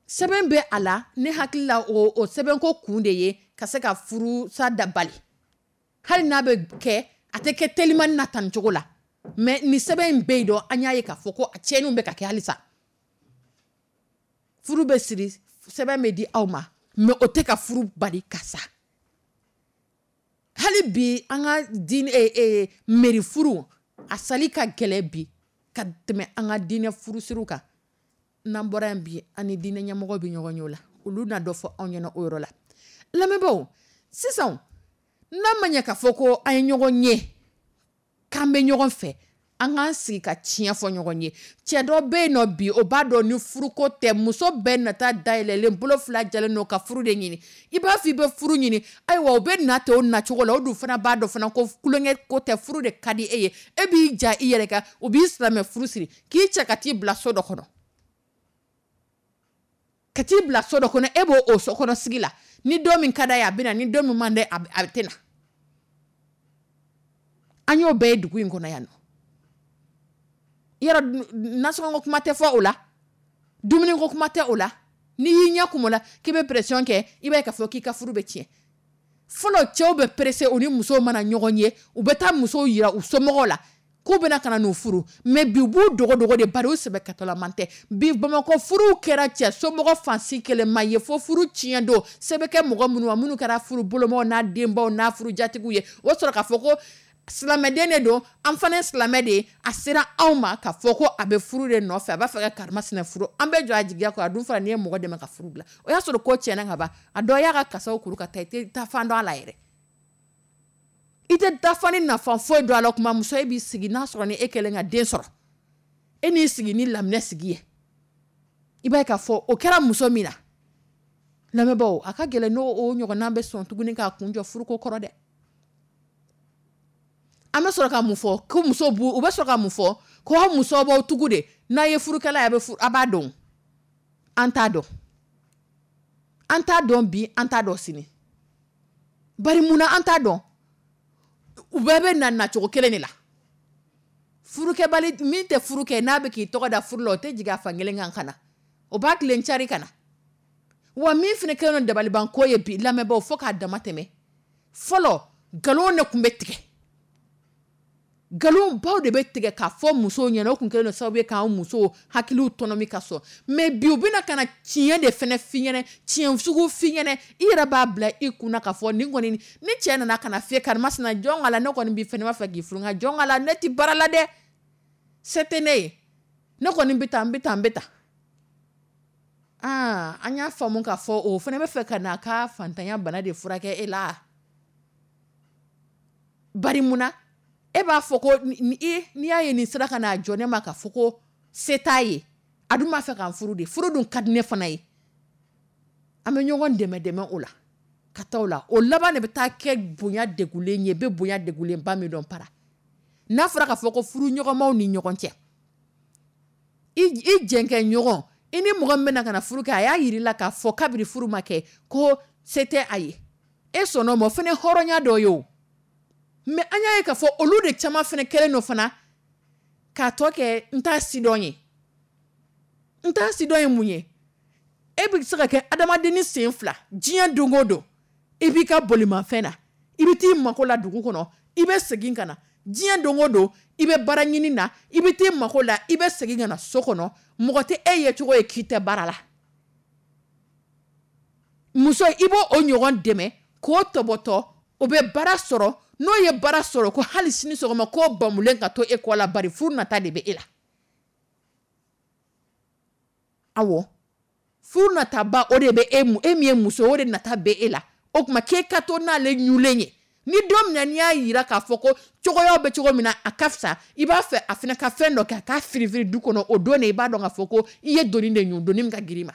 Speaker 2: sɛbɛn bɛ a la. Ne hakili la, o o sɛbɛnko kun de ye ka se ka furusa dabali, hali n'a bɛ kɛ, a tɛ kɛ telimani na tan cogo la. Mais ni sɛbɛn in bɛ yen dɔn, an y'a ye k'a fɔ ko a tiɲɛniw bɛ ka kɛ halisa. Furu bɛ siri, sɛbɛn bɛ di aw ma, mais o tɛ ka furu bali ka sa. Hali bi an ka diinɛ mairie furu, a sali ka gɛlɛn bi ka tɛmɛ an ka diinɛ furusiriw kan. N'an bɔra yen bi, an ni diinɛ ɲɛmɔgɔ bɛ ɲɔgɔn ye o la, olu na dɔ fɔ anw ɲɛna o yɔrɔ la. Lamɛnbaaw, sisan n'a ma ɲɛ k'a fɔ ko an ye ɲɔgɔn ye, k'an bɛ ɲɔgɔn fɛ, an k'an sigi ka tiɲɛ fɔ ɲɔgɔn ye. Cɛ dɔ bɛ yen nɔ bi, o b'a dɔn ni furuko tɛ, muso bɛɛ nata dayɛlɛlen, bolo fila jalen don ka furu de ɲini. I b'a fɔ i bɛ furu ɲini, ayiwa, o bɛ na ten o nacogo la. O dun fana b'a dɔn fana ko tulonkɛ ko tɛ, furu de ka di e ye. E b'i ja i yɛrɛ kan, o b'i silamɛ furu siri k'i cɛ ka t'i bila so dɔ kɔnɔ, ka t'i bila so dɔ kɔnɔ. E b'o o so kɔnɔ sigi la, ni don min ka d'a ye, a bɛ na, ni don min man d'a ye, a tɛ na. An y'o bɛɛ ye dugu in kɔnɔ yan nɔ. Yɔrɔ nasɔngɔ kuma tɛ fɔ o la, dumuni ko kuma tɛ o la. N'i y'i ɲɛ kumu la k'i bɛ pression kɛ, i b'a ye k'a fɔ k'i ka furu bɛ tiɲɛ. Fɔlɔ, cɛw bɛ pressé, u ni musow mana ɲɔgɔn ye, u bɛ taa musow yira u somɔgɔw la k'u bɛna ka na n'u furu. Mais bi, u b'u dogo dogo de, bari u sɛbɛkɛtɔlaman tɛ. Bi Bamakɔ, furuw kɛra cɛ somɔgɔ fansi kelen ma ye fo furu tiɲɛ don. Se bɛ kɛ mɔgɔ minnu ma, minnu kɛra furu bolomaw n'a denbaw n'a furu jatigiw ye, o sɔrɔ k'a fɔ ko silamɛden de don, an fana ye silamɛ de ye, a sera anw ma k'a fɔ ko a bɛ furu de nɔfɛ, a b'a fɛ ka karimasina furu, an bɛ jɔ a jigiya kɔrɔ. A dun fana, n'i ye mɔgɔ dɛmɛ ka furu bila, o y'a sɔrɔ ko tiɲɛna ka ban. A dɔ y'a ka kasaw kuru ka taa, i tɛ taa fan dɔn a la yɛrɛ, i tɛ dafa ni nafa foyi don a la. O kuma, muso, e b'i sigi n'a sɔrɔ ni e kɛlen ka den sɔrɔ, e n'i sigi ni laminɛ sigi ye, i b'a ye k'a fɔ o kɛra muso min na, lamɛnbaaw, a ka gɛlɛn n'o o ɲɔgɔnna bɛ sɔn tuguni k'a kun jɔ furuko kɔrɔ dɛ. An bɛ sɔrɔ ka mun fɔ? Ko muso b'u, u bɛ sɔrɔ ka mun fɔ? Ko aw musow b'aw tugu de, n'a ye furukɛla ye, a bɛ furu, a b'a dɔn. An t'a dɔn, an t'a dɔn bi, an t'a dɔn sini. Bari munna an t'a dɔn? U bɛɛ bɛ na nacogo kelen de la. Furukɛbali min tɛ furu kɛ, n'a bɛ k'i tɔgɔ da furu la, o tɛ jigin a fan kelen kan ka na, o b'a tilen cari ka na. Wa min fana kɛlen don dabalibanko ye bi, lamɛnbaaw, fo k'a dama tɛmɛ, fɔlɔ nkalon de tun bɛ tigɛ, nkalonbaw de bɛ tigɛ k'a fɔ musow ɲɛna. O tun kɛlen don sababu ye k'an musow hakiliw tɔnɔmi ka sɔn. Mais bi, u bɛna ka na tiɲɛ de fana f'i ɲɛna, tiɲɛ sugu f'i ɲɛna, i yɛrɛ b'a bila i kunna k'a fɔ nin kɔni, ni cɛ nana ka na f'i ye: "Karimasina, jɔn ka la, ne kɔni b'i fɛ, ne b'a fɛ k'i furu, nka jɔn ka la, ne ti baara la dɛ, se tɛ ne ye, ne kɔni bɛ taa, n bɛ taa, n bɛ taa." Aa, an y'a faamu k'a fɔ o fana bɛ fɛ ka n'a ka fantanya bana de furakɛ e la. Bari munna e b'a fɔ ko n'i y'a ye nin sera ka n'a jɔ ne ma k'a fɔ ko se t'a ye, a dun b'a fɛ k'an furu de, furu dun ka di ne fana ye? An bɛ ɲɔgɔn dɛmɛ dɛmɛ o la ka taa o la, o laban de bɛ taa kɛ bonya degulen ye. I bɛ bonya degulenba min dɔn para, n'a fɔra k'a fɔ ko furu ɲɔgɔnmaw ni ɲɔgɔn cɛ, i jɛnkɛ ɲɔgɔn, i ni mɔgɔ min bɛna ka na furu kɛ, a y'a yir'i la k'a fɔ kabini furu ma kɛ ko se tɛ a ye, e sɔnn'o ma, o fana ye hɔrɔnya dɔ ye o. Mais an y'a ye k'a fɔ olu de caman fana kɛlen don fana k'a tɔ kɛ n t'a sidɔn ye. N t'a sidɔn ye mun ye? E bɛ se ka kɛ adamadenni sen fila diɲɛ don o don, i b'i ka bolimafɛn na, i bɛ t'i mako la dugu kɔnɔ, i bɛ segin ka na. Diɲɛ don o don, i bɛ baara ɲini na, i bɛ t'i mako la, i bɛ segin ka na so kɔnɔ. Mɔgɔ tɛ e ye cogo ye k'i tɛ baara la. Muso, i b'o o ɲɔgɔn dɛmɛ k'o tɔbɔtɔ, o bɛ baara sɔrɔ. N'o ye baara sɔrɔ, ko hali sini sɔgɔma k'o bamulen ka to e kɔ la, bari furu nata de bɛ e la. Awɔ, furu nataba, o de bɛ e, e min ye muso, o de nata bɛ e la. O tuma k'e ka to n'ale ɲulen ye, ni don min na n'i y'a yira k'a fɔ ko cogoyaw bɛ cogo min na, a ka fisa, i b'a fɛ a fana ka fɛn dɔ kɛ, a k'a firifiri du kɔnɔ, o don de i b'a dɔn k'a fɔ ko i ye doni de ɲun, doni min ka girin i ma.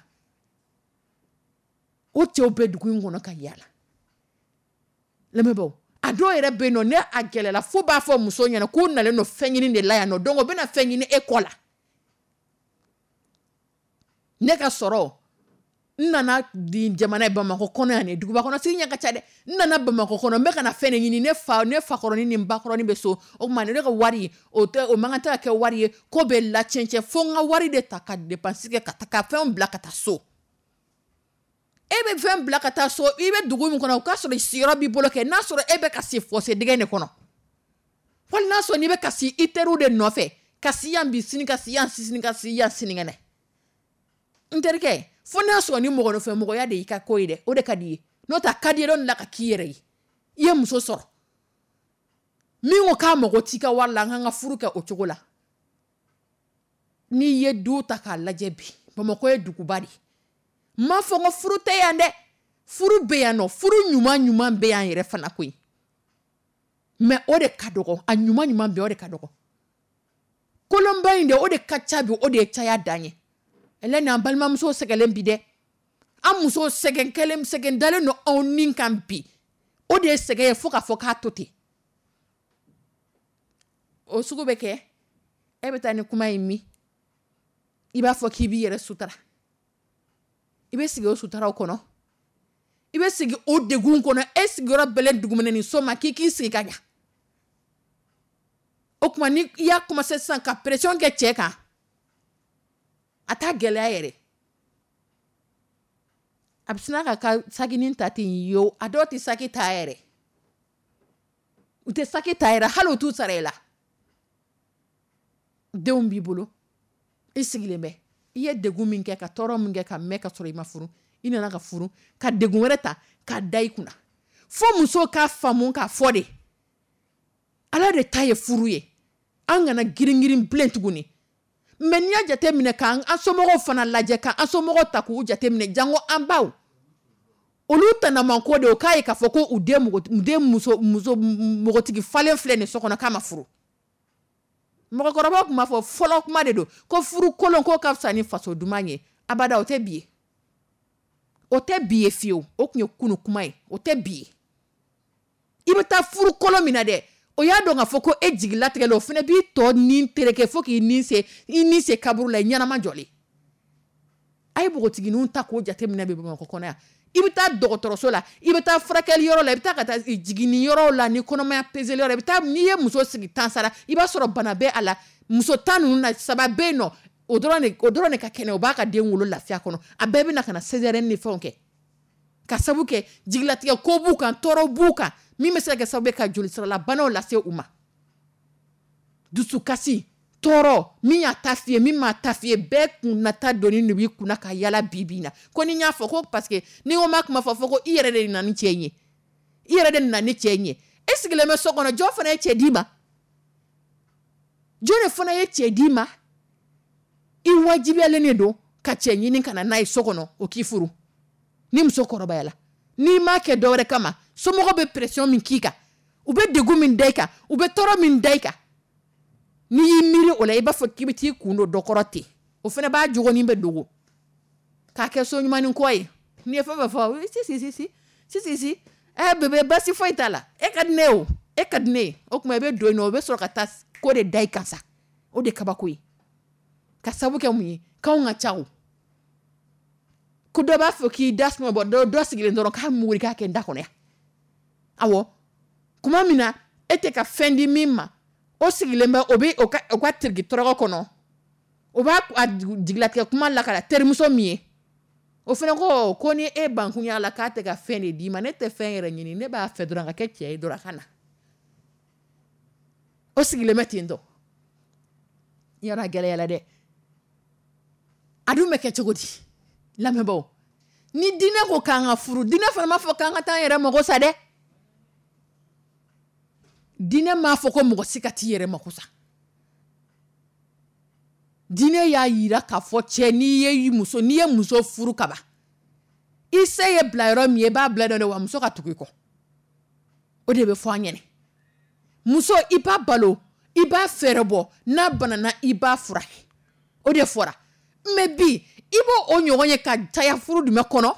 Speaker 2: O cɛw bɛ dugu in kɔnɔ ka yaala. Lamɛnbaaw, a dɔw yɛrɛ bɛ yen nɔ, ne a gɛlɛla fo b'a fɔ muso ɲɛna k'u nalen don fɛn ɲini de la yan nɔ, donc o bɛna fɛn ɲini e kɔ la. Ne ka sɔrɔ, n nana di jamana ye Bamakɔ kɔnɔ yan, duguba kɔnɔ sigi ɲɛ ka ca dɛ. N nana Bamakɔ kɔnɔ, n bɛ ka na fɛn de ɲini. Ne fa, ne fakɔrɔnin ni n bakɔrɔnin bɛ so, o tuma ne ka wari, o tɛ, o man kan tɛ ka kɛ wari ye ko bɛ lacɛncɛn, fo n ka wari de ta ka dépense kɛ, ka taa ka fɛnw bila ka taa so. E bɛ fɛn bila ka taa so, i bɛ dugu min kɔnɔ, o k'a sɔrɔ sigiyɔrɔ b'i bolo kɛ, n'a sɔrɔ e bɛ ka si fossé dingɛ de kɔnɔ, wali n'a sɔrɔ n'i bɛ ka si i teriw de nɔfɛ, ka si yan bi, sini ka si yan, sini ka si yan, sinikɛnɛ. N terikɛ, fo n'a sɔrɔ ni mɔgɔ nɔfɛ mɔgɔya de y'i ka ko ye dɛ, o de ka di i ye. N'o tɛ, a ka di i ye don la ka k'i yɛrɛ ye. I ye muso sɔrɔ min ko k'a mago t'i ka wari la, an k'an ka furu kɛ o cogo la. N'i ye du ta k'a lajɛ bi, Bamakɔ ye duguba de ye. N m'a fɔ ko furu tɛ yan dɛ, furu bɛ yan nɔ, furu ɲuman ɲuman bɛ yan yɛrɛ fana koyi, mais o de ka dɔgɔ. A ɲuman ɲuman bɛ, o de ka dɔgɔ. Kolonba in de, o de ka ca bi, o de ye caya dan ye. Ɛlɛ, an balimamuso sɛgɛnlen bi dɛ, an muso sɛgɛn kɛlen, sɛgɛn dalen don anw ni kan bi, o de ye sɛgɛn ye fo k'a fɔ k'a to ten. O sugu bɛ kɛ, e bɛ taa ni kuma ye min, i b'a fɔ k'i b'i yɛrɛ sutura, i bɛ sigi o sutaraw kɔnɔ, i bɛ sigi o degun kɔnɔ, e sigiyɔrɔ bɛlen dugumɛnɛ ni so ma, k'i k'i sigi ka ɲa. O tuma, ni i y'a commencé sisan ka pression kɛ cɛ kan, a t'a gɛlɛya yɛrɛ. A bɛ sina ka ka sakinin ta ten yo. A dɔw tɛ saki ta yɛrɛ, u tɛ saki ta yɛrɛ, hali u t'u sara i la. Denw b'i bolo, i sigilen bɛ, i ye degun min kɛ, ka tɔɔrɔ min kɛ ka mɛn ka sɔrɔ i ma furu, i nana ka furu ka degun wɛrɛ ta k'a da i kunna. Fo muso ka faamu k'a fɔ de, Ala de ta ye furu ye. An kana girin-girin bilen tuguni. Mais n'i y'a jate minɛ k'an an somɔgɔw fana lajɛ, k'an somɔgɔw ta k'u jate minɛ, jango an baw, olu tanaman ko de o k'a ye k'a fɔ ko u den den muso muso npogotigi falen filɛ nin so kɔnɔ k'a ma furu. Mɔgɔkɔrɔbaw tun b'a fɔ, fɔlɔ kuma de don, ko furu kolon k'o ka fisa ni faso duman ye. Abada, o tɛ bi ye, o tɛ bi ye fiyewu. O tun ye kunu kuma ye, o tɛ bi ye. I bɛ taa furu kolon min na dɛ, o y'a dɔn k'a fɔ ko e jigilatigɛ la, o fana b'i tɔ ni tereke fo k'i ni se i ni se kaburu la, i ɲɛnama jɔlen. A ye npogotigininw ta k'o jateminɛ bi Bamakɔ kɔnɔ yan. I bɛ taa dɔgɔtɔrɔso la, i bɛ taa furakɛli yɔrɔ la, i bɛ taa ka taa jiginni yɔrɔ la, ni kɔnɔmaya peseli yɔrɔ, i bɛ taa, n'i ye muso sigi tan sara, i b'a sɔrɔ bana bɛ a la. Muso tan ninnu na, saba bɛ yen nɔ, o dɔrɔn de o dɔrɔn de ka kɛnɛ, o b'a ka den wolo lafiya kɔnɔ. A bɛɛ bɛ na ka na césarienne ni fɛnw kɛ, ka sabu kɛ jigilatigɛ ko b'u kan, tɔɔrɔ b'u kan, min bɛ se ka kɛ sababu ye ka jolisiralabanaw lase u ma. Dusukasi, tɔɔrɔ, min y'a ta f'i ye, min m'a ta f'i ye, bɛɛ kunnata doni de b'i kunna ka yala bi bi in na. Ko ni n y'a fɔ ko parce que ni ko n b'a kuma fɔ fɔ ko i yɛrɛ de nana ni cɛ in ye, i yɛrɛ de nana ni cɛ in ye. E sigilen bɛ so kɔnɔ, jɔn fana ye cɛ d'i ma? Jɔn de fana ye cɛ d'i ma? I wajibiyalen de don ka cɛ ɲini ka na n'a ye so kɔnɔ, o k'i furu. Ni muso kɔrɔbayala, n'i m'a kɛ dɔwɛrɛ kama, somɔgɔw bɛ pression min k'i kan, u bɛ degun min da i kan, u bɛ tɔɔrɔ min da i kan, n'i y'i miiri o la, i b'a fɔ k'i bɛ t'i kun don dɔ kɔrɔ ten. O fana b'a jogonin bɛ dogo k'a kɛ so ɲumanin kɔ ye. N'i ye fɛn fɛn fɔ, si si si si si si si, ɛ bébé, basi foyi t'a la, e ka di ne ye, o e ka di ne ye. O tuma, i bɛ don yen nɔ, o bɛ sɔrɔ ka taa ko de da i kan sa. O de kabako ye, ka sabu kɛ mun ye? K'anw ka ca o ko dɔ b'a fɔ k'i da suma bɔ dɔ dɔ sigilen dɔrɔn k'a muguri k'a kɛ n da kɔnɔ yan. Awɔ, kuma min na e tɛ ka fɛn di min ma, o sigilen bɛ, o bɛ o ka o ka tiriki tɔrɔkɔ kɔnɔ, o b'a a jigilatigɛ kuma lakala terimuso min ye, o fana ko ko ni e bankunya la k'a tɛ ka fɛn de d'i ma, ne tɛ fɛn yɛrɛ ɲini, ne b'a fɛ dɔrɔn ka kɛ cɛ ye dɔrɔn a ka na. O sigilen bɛ ten tɔ. Yɔrɔ a gɛlɛyara dɛ. A dun bɛ kɛ cogo di? Lamɛnbaaw, ni diinɛ ko k'an ka furu, diinɛ fana m'a fɔ k'an ka taa an yɛrɛ mago sa dɛ. Diinɛ m'a fɔ ko mɔgɔ si ka t'i yɛrɛ mako sa. Diinɛ y'a yira k'a fɔ cɛ, n'i ye muso n'i ye muso furu kaban, i se ye bila yɔrɔ min ye, i b'a bila dɔ, wa muso ka tugu i kɔ. O de bɛ fɔ an ɲɛnɛ. Muso, i b'a balo, i b'a fɛɛrɛ bɔ, n'a banana, i b'a furakɛ. O de fɔra. Mais bi, i b'o o ɲɔgɔn ye ka caya furu jumɛn kɔnɔ?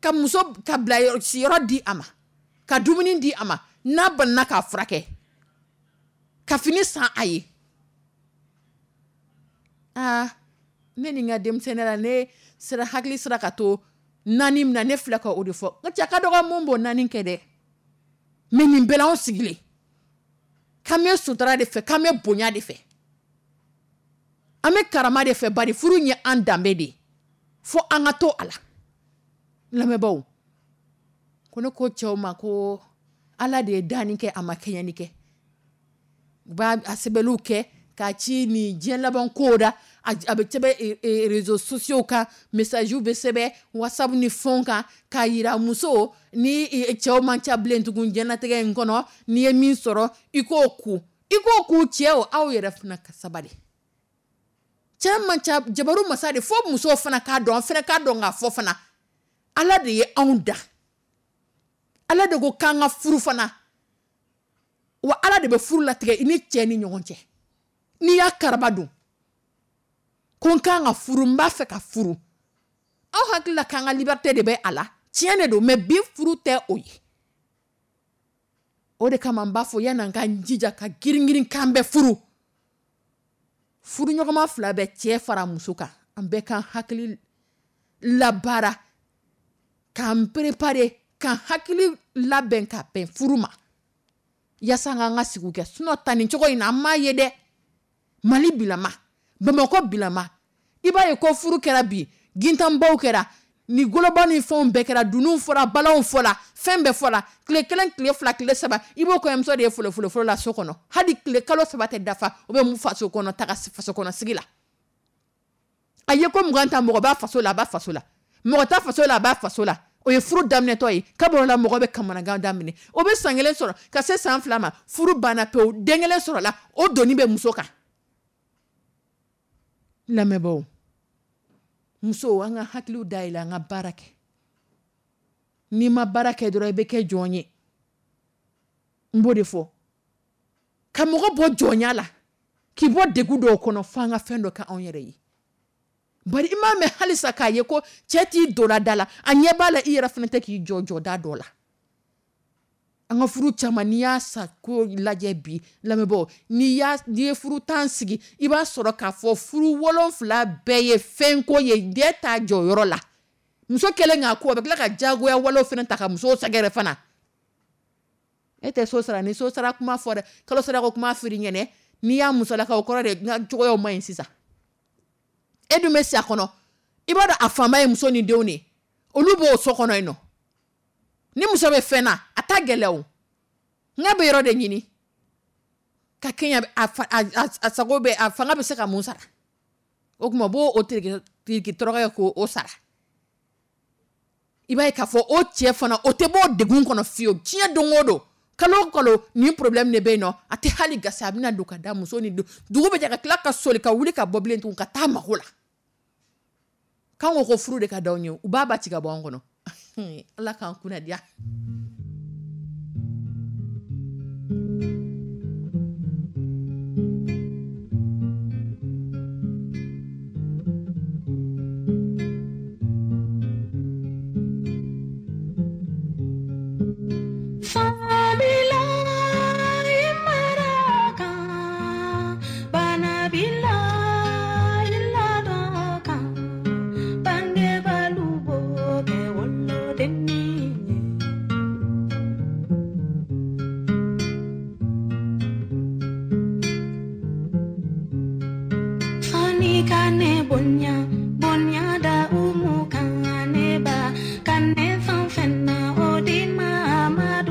Speaker 2: Ka muso ka bila siyɔrɔ di a ma, ka dumuni di a ma, n'a banana k'a furakɛ, ka fini san a ye. Aa, ne ni n ka denmisɛnninya la, ne sera hakili sera ka to naani min na, ne filɛ ka o de fɔ. N cɛ ka dɔgɔ mun b'o naani kɛ dɛ. Mais nin bɛɛ la, anw sigilen k'an bɛ sutura de fɛ, k'an bɛ bonya de fɛ, an bɛ karama de fɛ, bari furu ye an danbe de ye, fo an ka to a la. Lamɛnbaaw, ko ne ko cɛw ma ko Ala de ye danni kɛ, a ma kɛɲɛni kɛ. U b'a a sɛbɛnniw kɛ k'a ci ni diɲɛ laban kow da, a bɛ sɛbɛn réseaux sociaux kan, message bɛ sɛbɛn WhatsApp ni fɛnw kan, k'a yira muso ni cɛw man ca bilen tugun diɲɛlatigɛ in kɔnɔ. N'i ye min sɔrɔ, i k'o ku, i k'o ku. Cɛw, aw yɛrɛ fana ka sabali. Cɛ man ca, jabaru masa de. Fo musow fana k'a dɔn, an fana k'a dɔn k'a fɔ fana, Ala de ye anw da, Ala de ko k'an ka furu fana, wa Ala de bɛ furu latigɛ i ni cɛ ni ɲɔgɔn cɛ. N'i y'a karaba dun ko n kan ka furu, n b'a fɛ ka furu, aw hakili la k'an ka liberté de bɛ a la. Tiɲɛ de don, mais bi furu tɛ o ye. O de kama n b'a fɔ, yan'an ka jija ka girin girin k'an bɛ furu, furuɲɔgɔnma fila bɛ, cɛ fara muso kan, an bɛɛ k'an hakili labaara, k'an préparer, k'an hakili labɛn ka bɛn furu ma. Yaasa an k'an ka sigiw kɛ, sinon ta nin cogo in na, an m'a ye dɛ. Mali bilama, Bamakɔ bilama, i b'a ye ko furu kɛra bi, gintanbaw kɛra, ni goloba ni fɛnw bɛɛ kɛra, dununw fɔra, balanw fɔra, fɛn bɛɛ fɔra. Tile kelen, tile fila, tile saba, i b'o kɔɲɔmuso de ye folofolo la so kɔnɔ. Hali tile kalo saba tɛ dafa, o bɛ mun faso kɔnɔ taga faso kɔnɔ sigi la. A ye ko mugan ta, mɔgɔ b'a faso la, a b'a faso la, mɔgɔ t'a faso la, a b'a faso la. O ye furu daminɛtɔ ye. Kabɔrɔ la, mɔgɔ bɛ kamanagan daminɛ, o bɛ san kelen sɔrɔ ka se san fila ma, furu banna pewu, den kelen sɔrɔla, o doni bɛ muso kan. Lamɛnbaaw, musow, an ka hakiliw dayɛlɛ, an ka baara kɛ. N'i ma baara kɛ dɔrɔn, i bɛ kɛ jɔn ye. N b'o de fɔ, ka mɔgɔ bɔ jɔnya la, k'i bɔ degun dɔw kɔnɔ, fo an ka fɛn dɔ kɛ anw yɛrɛ ye. Bari i m'a mɛn halisa k'a ye ko cɛ t'i donna da la, a ɲɛ b'a la, i yɛrɛ fana tɛ k'i jɔ jɔda dɔ la. An ka furu caman, n'i y'a sa ko lajɛ bi, lamɛnbaaw, n'i y'a n'i ye furu tan sigi, i b'a sɔrɔ k'a fɔ furu wolonfila bɛɛ ye fɛnko ye, den t'a jɔyɔrɔ la. Muso kɛlen k'a ko, a bɛ tila ka diyagoya walew fana ta ka musow sɛgɛrɛ fana. E tɛ so sara, ni so sara kuma fɔ dɛ, kalo sara ko kuma firi ɲɛnɛ, n'i y'a musolakaw, o kɔrɔ de n ka cogoyaw ma ɲi sisan. E dun bɛ si a kɔnɔ, i b'a dɔn a fanba ye muso ni denw de ye, olu b'o so kɔnɔ yen nɔ. Ni muso bɛ fɛn na, a ta gɛlɛn o, n bɛ yɔrɔ de ɲini ka kɛɲɛ a fa, a, a, a sago bɛ, a fanga bɛ se ka mun sara. O tuma o b'o o tiriki tiriki tɔrɔkɔ ye k'o sara. I b'a ye k'a fɔ o cɛ fana, o tɛ bɔ o degun kɔnɔ fiyewu. Diɲɛ don o don, kalo o kalo, nin problème de bɛ yen nɔ. A tɛ hali gasi, a bɛna don ka da muso ni don, dugu bɛ jɛ, ka tila ka soli ka wuli ka bɔ bilen tugun ka taa mago la. K'an ko ko furu de ka d'anw ye, u b'a ba ci ka bɔ an kɔnɔ. Ala k'an kunna diya.
Speaker 4: Kane fan fena odi ma ma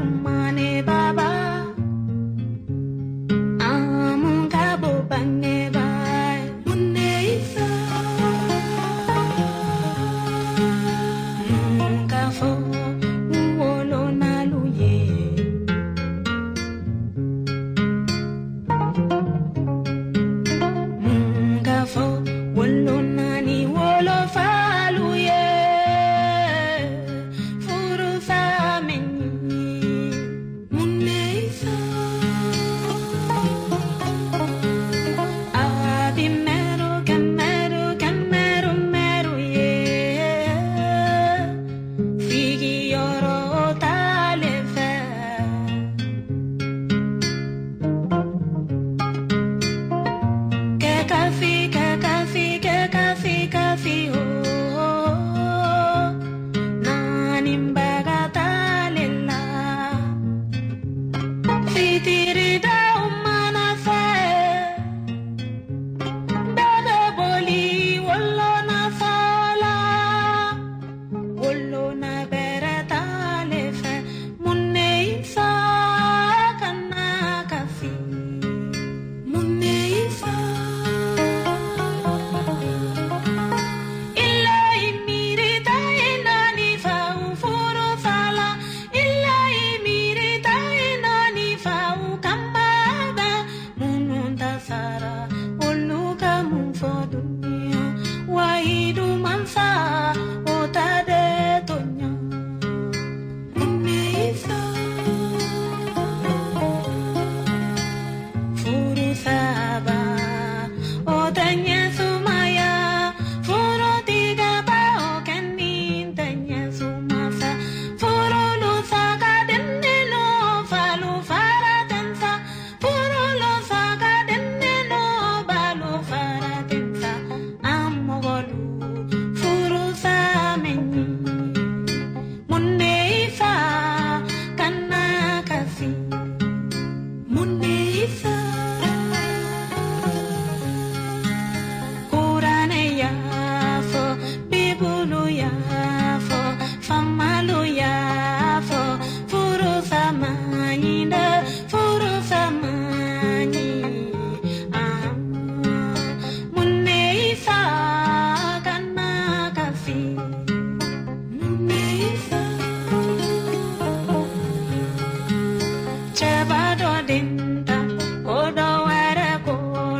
Speaker 4: Cɛba dɔ den ta ko dɔ wɛrɛ ko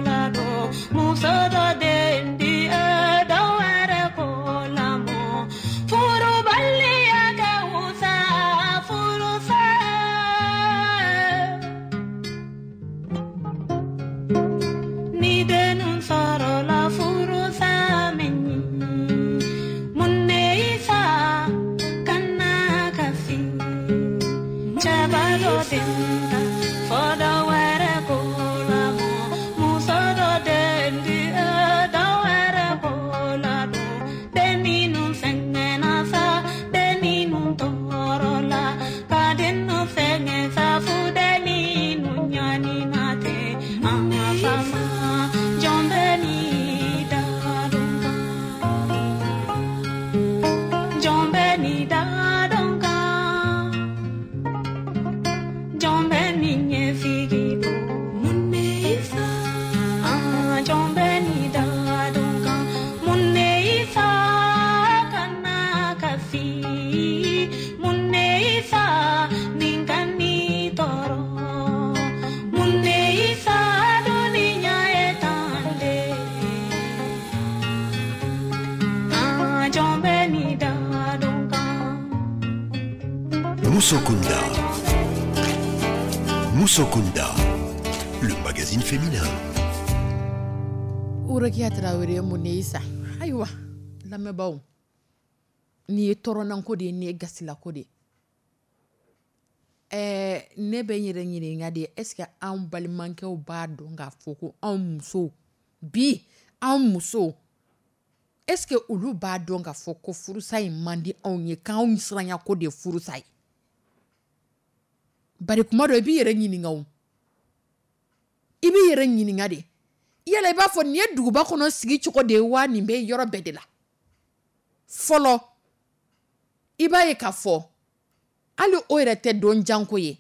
Speaker 4: la don muso dɔ den di dɔ wɛrɛ ko lamɔ furubaliya ka wusa furusa. Ni dennu sɔrɔla furusa min mun ne y'i fa kana kasi. Cɛba dɔ den ta fɔ dɔ wɛrɛ ko lamɔ muso dɔ den di dɔ wɛrɛ ko ladon den minnu sɛgɛnna sa den minnu tɔɔrɔla ka dennu sɛgɛn sa fu den minnu ɲanina ten an ka fama jɔn bɛ n'i da dɔn kan jɔn bɛ n'i da dɔn kan jɔn bɛ n'i ɲɛsigi don mun ne y'i fa ah jɔn bɛ n'i da dɔn kan mun ne y'i fa kana kasi mun ne y'i fa nin ka n'i tɔɔrɔ mun ne y'i fa duniya ye tan de ah jɔn bɛ n'i da dɔn kan.
Speaker 1: Musokunda. Musokunda, le magazine féminin.
Speaker 2: Urekiya Tarawele mun ne sa ayiwa lamɛnbaaw nin ye tɔɔrɔnanko de ye nin ye gasilako de ye ɛɛ ne bɛ n yɛrɛ ɲininka de est ce que anw balimakɛw b'a dɔn k'a fɔ ko anw musow bi anw musow est ce que olu b'a dɔn k'a fɔ ko furusa in man di anw ye k'anw siranya ko de ye furusa ye bari kuma dɔ i b'i yɛrɛ ɲininka o i b'i yɛrɛ ɲininka de yala i b'a fɔ nin ye duguba kɔnɔ sigi cogo de ye wa nin bɛ yɔrɔ bɛɛ de la fɔlɔ i b'a ye k'a fɔ hali o yɛrɛ tɛ don janko ye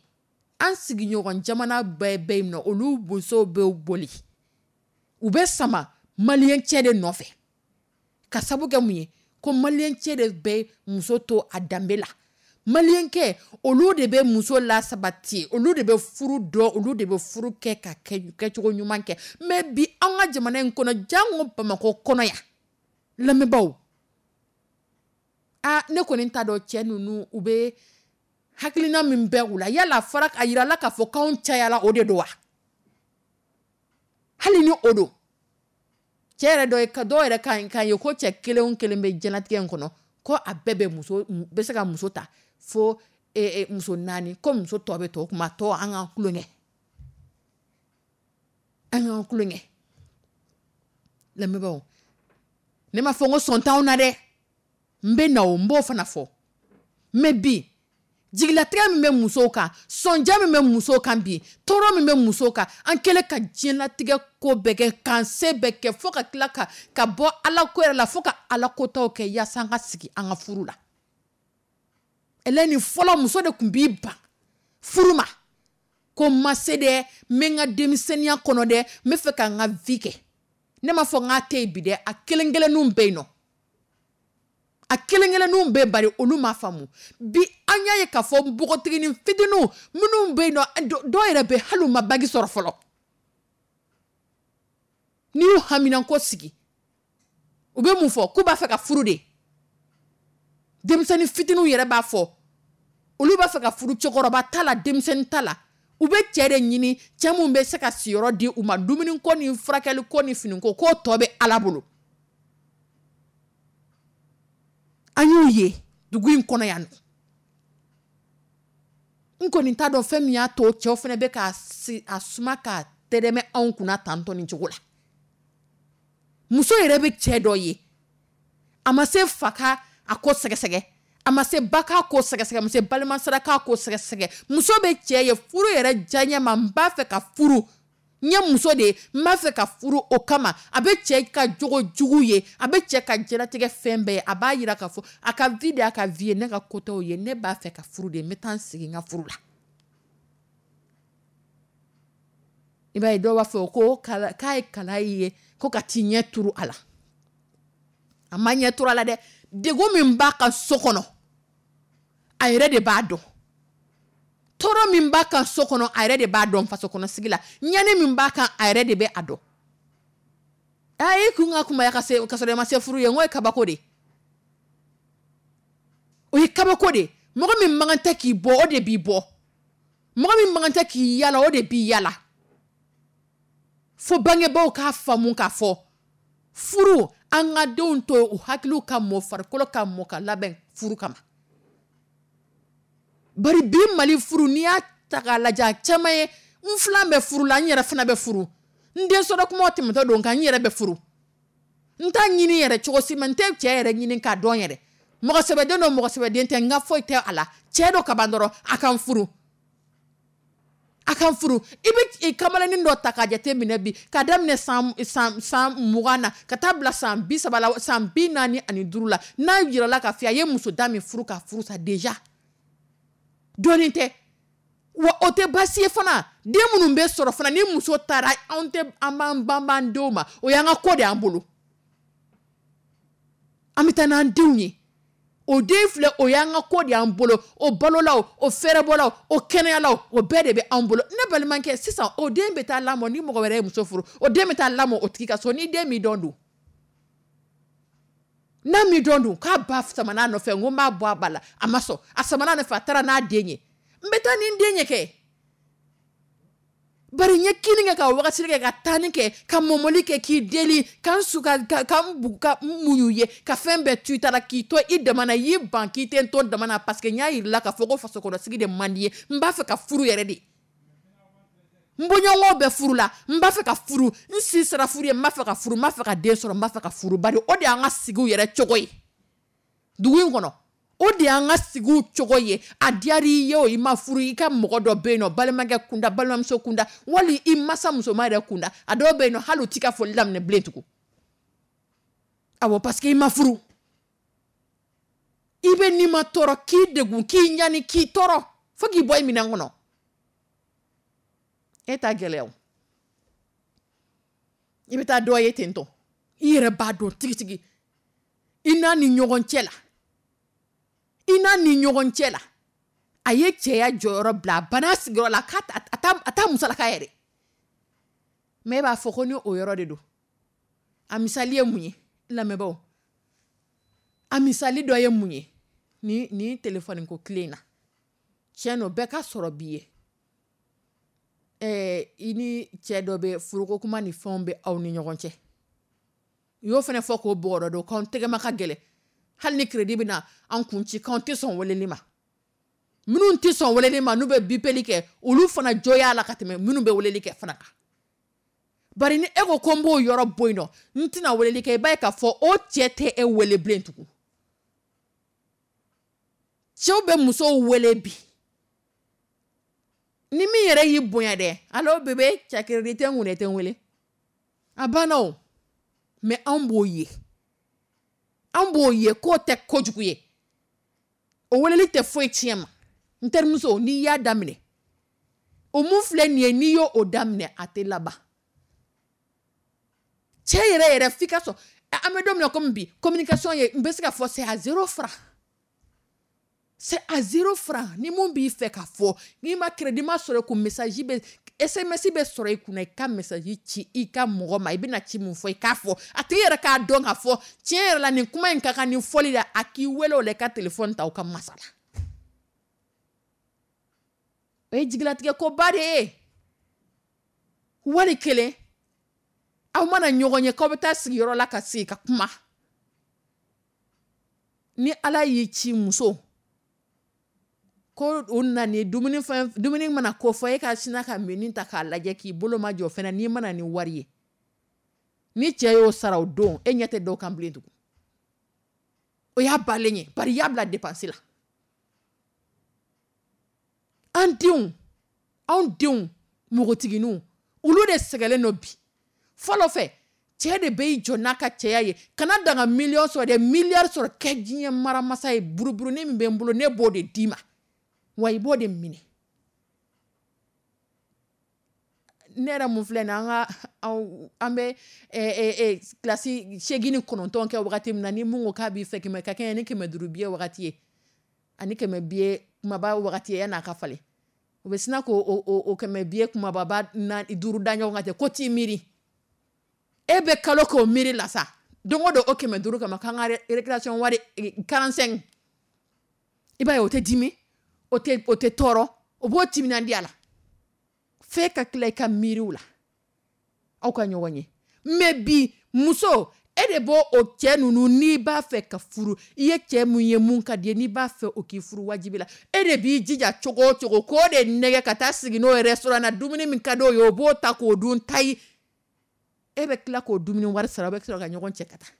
Speaker 2: an sigiɲɔgɔn jamana bɛɛ bɛ yen nɔ olu musow bɛ boli u bɛ sama maliyɛn cɛ de nɔfɛ ka sabu kɛ mun ye ko maliyɛn cɛ de bɛ muso to a danbe la maliyɛnkɛ olu de bɛ muso lasabati olu de bɛ furu dɔn olu de bɛ furu kɛ ka kɛ kɛcogo ɲuman kɛ mais bi an ka jamana in kɔnɔ jango bamakɔ kɔnɔ yan lamɛnbaaw aa ne kɔni t'a dɔn cɛ ninnu u bɛ hakilina min bɛ u la yala a fɔra a yirala k'a fɔ k'anw cayala o de don wa hali ni o don cɛ yɛrɛ dɔ ye dɔw yɛrɛ kan kan ye ko cɛ kelen o kelen bɛ diɲɛlatigɛ in kɔnɔ ko a bɛɛ bɛ muso bɛ se ka muso ta fo e, e, muso naani ko muso tɔ bɛ to kuma tɔ an ka kulonkɛ an ka kulonkɛ lamɛnbaaw ne ma fɔ n ko sɔn t'anw na dɛ n bɛ na o n b'o fana fɔ mais bi jigilatigɛ min bɛ musow kan sɔnja min bɛ musow kan bi tɔɔrɔ min bɛ musow kan an kɛlen ka diɲɛlatigɛ ko bɛɛ kɛ k'an se bɛɛ kɛ fo ka tila ka ka bɔ ala ko yɛrɛ la fo ka ala kotaw kɛ yaasa an ka sigi an ka furu la Eleni fɔlɔ muso de tun b'i ban furu ma ko n ma se dɛ n bɛ n ka denmisɛnninya kɔnɔ dɛ n bɛ fɛ ka n ka vie kɛ ne m'a fɔ n k'a tɛ yen bi dɛ a kelen kelenninw bɛ yen nɔ a kelen kelenninw bɛ bari olu m'a faamu bi an y'a ye k'a fɔ npogotiginin fitininw minnu bɛ yen nɔ dɔw yɛrɛ bɛ hali u ma bac sɔrɔ fɔlɔ n'i y'u haminanko sigi u bɛ mun fɔ k'u b'a fɛ ka furu de denmisɛnnin fitininw yɛrɛ b'a fɔ olu b'a fɛ ka furu cɛkɔrɔba ta la denmisɛnnin ta la u bɛ cɛ de ɲini cɛ mun bɛ se ka siyɔrɔ di u ma dumuniko ni furakɛliko ni finiko k'o tɔ bɛ ala bolo an y'u ye dugu in kɔnɔ yan nɔ n kɔni t'a dɔn fɛn min y'a to cɛw fana bɛ k'a a suma k'a tɛrɛmɛ anw kunna tantɔ nin cogo la muso yɛrɛ bɛ cɛ dɔ ye a ma se fa ka a ko sɛgɛsɛgɛ a ma se ba k'a ko sɛgɛsɛgɛ a ma se balimasira k'a ko sɛgɛsɛgɛ muso bɛ cɛ ye furu yɛrɛ diyaɲɛ ma n b'a fɛ ka furu n ye muso de ye n b'a fɛ ka furu o kama a bɛ cɛ ka jogo jugu ye a bɛ cɛ ka diɲɛlatigɛ fɛn bɛɛ ye a b'a yira k'a fɔ a ka vie de y'a ka vie ye ne ka ko t'o ye ne b'a fɛ ka furu de n bɛ taa n sigi n ka furu la i b'a ye dɔw b'a fɔ ko k'a ye kala ye ko ka t'i ɲɛ turu a la a ma ɲɛ turu a la dɛ degun min b'a ka so kɔnɔ a yɛrɛ de b'a dɔn tɔɔrɔ Tɔɔrɔ min b'a kan so kɔnɔ, a yɛrɛ de b'a dɔn. Faso kɔnɔ sigi la, ɲani min b'a kan, a yɛrɛ de bɛ a dɔn. A ye kun ka kunbaya ka se ka sɔrɔ i ma se furu ye, n ko ye kabako de, o ye kabako de. Mɔgɔ min man kan tɛ k'i bɔ, o de b'i bɔ. Mɔgɔ min man kan tɛ k'i yala, o de b'i yala. Fo bangebaaw k'a faamu k'a fɔ furu, an ka denw to u hakiliw ka mɔ, farikolo ka mɔ, ka labɛn furu kama. Bari bi Mali furu, n'i y'a ta k'a lajɛ, a caman ye n filan bɛ furu la, n yɛrɛ fana bɛ furu, n den sɔrɔ kumaw tɛmɛtɔ don kan, n yɛrɛ bɛ furu, n t'a ɲini yɛrɛ cogo si ma, n tɛ cɛ yɛrɛ ɲini k'a dɔn yɛrɛ, mɔgɔ sɛbɛden don, mɔgɔ sɛbɛden tɛ, n ka foyi tɛ a la, cɛ dɔ kaban dɔrɔn a kan furu, a kan furu. I bɛ kamalennin dɔ ta k'a jate minɛ bi, k'a daminɛ san san san mugan na ka taa bila san bi saba la, san bi naani ani duuru la, n'a yirala k'a fɔ a ye muso da min furu ka furu sa déjà, dɔɔnin tɛ wa, o tɛ baasi ye fana. Den minnu bɛ sɔrɔ fana ni muso taara, anw tɛ an b'an banban denw ma, o y'an ka ko de y'an bolo, an bɛ taa n'an denw ye. O den filɛ, o y'an ka ko de y'an bolo, o balola, o o fɛrɛbɔla, o kɛnɛyala, o bɛɛ de bɛ anw bolo. Ne balimakɛ, sisan o den bɛ taa lamɔ ni mɔgɔ wɛrɛ ye muso furu, o den bɛ taa lamɔ o tigi ka so. Ni den m'i dɔn dun, n'a m'i dɔn dun, k'a ba samana nɔfɛ, n ko n b'a bɔ a ba la, a ma sɔn, a samana nɔfɛ, a taara n'a den ye, n bɛ taa ni n den ye kɛ. Bari n ye kini kɛ, ka wagati kɛ, ka taani kɛ, ka mɔmɔli kɛ, k'i deli, ka n su ka ka ka n bu ka n muɲu ye, ka fɛn bɛɛ to i ta la, k'i to i dama na, i y'i ban k'i tɛ n to dama na, parce que n y'a yir'i la k'a fɔ ko faso kɔnɔ sigi de man di ye, n b'a fɛ ka furu yɛrɛ de, n bɔɲɔgɔnw bɛ furu la, n b'a fɛ ka furu, n si sera furu ye, n b'a fɛ ka furu, n b'a fɛ ka den sɔrɔ, n b'a fɛ ka furu. Bari o de y'an ka sigiw yɛrɛ cogo ye dugu in kɔnɔ, o de y'an ka sigiw cogo ye. A diyara i ye o, i ma furu, i ka mɔgɔ dɔ bɛ yen nɔ, balimakɛ kunda, balimamuso kunda, wali i masa musoman yɛrɛ kunda, a dɔw bɛ yen nɔ, hali u t'i ka foli daminɛ bilen tugun. Awɔ, parce que i ma furu, i bɛ n'i ma tɔɔrɔ, k'i degun, k'i ɲani, k'i tɔɔrɔ fo k'i bɔ i minɛn kɔnɔ, e t'a gɛlɛya o. I bɛ taa dɔ ye ten tɔ, i yɛrɛ b'a dɔn tigitigi i n'a ni ɲɔgɔn cɛ la, i n'a ni ɲɔgɔn cɛ la, a ye cɛya jɔyɔrɔ bila, a banna sigiyɔrɔ la, k'a a t'a a t'a musalaka yɛrɛ. Mɛ e b'a fɔ ko ni o yɔrɔ de don. A misali ye mun ye, lamɛnbaaw? A misali dɔ ye mun ye? Ni ni telefɔni ko tile in na, tiɲɛ don, bɛɛ ka sɔrɔ b'i ye, ɛɛ i ni cɛ dɔ bɛ furuko kuma ni fɛnw bɛ aw ni ɲɔgɔn cɛ, u y'o fana fɔ k'o bɔgɔrɔ don k'anw tɛgɛma ka gɛlɛn, hali ni crédit bɛ na an kun ci, k'anw tɛ sɔn weleli ma. Minnu tɛ sɔn weleli ma, n'u bɛ bipeli kɛ, olu fana jo y'a la ka tɛmɛ minnu bɛ weleli kɛ fana kan. Bari ni e ko ko n b'o yɔrɔ bɔ yen nɔ, n tɛna weleli kɛ, i b'a ye k'a fɔ o cɛ tɛ e wele bilen tugun. Cɛw bɛ musow wele bi, ni min yɛrɛ y'i bonya dɛ, allo bébé, cɛ crédit tɛ n kun dɛ, tɛ n wele, a banna o. Mɛ anw b'o ye, an b'o ye k'o tɛ kojugu ye, o weleli tɛ foyi tiɲɛ ma. N terimuso, n'i y'a daminɛ, o mun filɛ nin ye, n'i y'o o daminɛ, a tɛ laban. Cɛ yɛrɛ yɛrɛ, f'i ka sɔn. An bɛ don min na komi bi, communication ye, n bɛ se ka fɔ c'est à zéro franc, c'est à zéro franc. Ni mun b'i fɛ k'a fɔ, n'i ma crédit ma sɔrɔ i kun, message bɛ, S M S bɛ sɔrɔ i kunna, i ka message ci i ka mɔgɔ ma, i bɛna ci mun fɔ, i k'a fɔ a tigi yɛrɛ k'a dɔn k'a fɔ tiɲɛ yɛrɛ la, nin kuma in ka kan ni fɔli la, a k'i wele o la, i ka téléphone ta, o ka masala. O ye jigilatigɛ koba de ye. Wali kelen, aw mana ɲɔgɔn ye k'aw bɛ taa sigiyɔrɔ la ka sigi ka kuma, ni Ala y'i ci muso ko o nana dumuni fɛn, dumuni mana ko fɔ, e ka sina ka menu ta k'a lajɛ, k'i bolo ma jɔ fɛnɛ, n'i mana ni wari ye, ni cɛ y'o sara o don, e ɲɛ tɛ dɔw kan bilen tugun. O y'a balen ye, bari i y'a bila dépense la. An denw, anw denw npogotigininw, olu de sɛgɛnlen don bi. Fɔlɔ fɛ, cɛ de bɛ i jɔ n'a ka cɛya ye, kana dan ka miliyɔn sɔrɔ dɛ, miliyari sɔrɔ, kɛ diɲɛ maramasa ye, buruburunin min bɛ n bolo, ne b'o de d'i ma, wa i b'o de minɛ. Ne yɛrɛ mun filɛ nin ye, an ka an bɛ kilasi seegin ni kɔnɔntɔn kɛ wagati min na, ni mun ko k'a b'i fɛ, kɛmɛ ka kɛɲɛ ni kɛmɛ duuru biye wagati ye ani kɛmɛ biye kumaba wagati ye, yan'a ka falen, U bɛ sina k'o o kɛmɛ biye kumababa duuru da ɲɔgɔn kan ten ko t'i miiri. E bɛ kalo k'o miiri la sa, don o don o kɛmɛ duuru kama k'an ka récréation wari quarante-cinq. I b'a ye o tɛ dimi, o tɛ o tɛ tɔɔrɔ, o b'o timinandiya la. F'e ka tila i ka miiriw la aw ka ɲɔgɔn ye. Mais bi muso, e de b'o o cɛ ninnu, n'i b'a fɛ ka furu, i ye cɛ mun ye mun ka di ye, n'i b'a fɛ o k'i furu wajibi la, e de b'i jija cogo o cogo k'o de nɛgɛ ka taa sigi n'o ye restaurant na, dumuni min ka d'o ye o b'o ta k'o dun tayi. E bɛ tila k'o dumuni wari sara, o bɛ sɔrɔ ka ɲɔgɔn cɛ ka taa.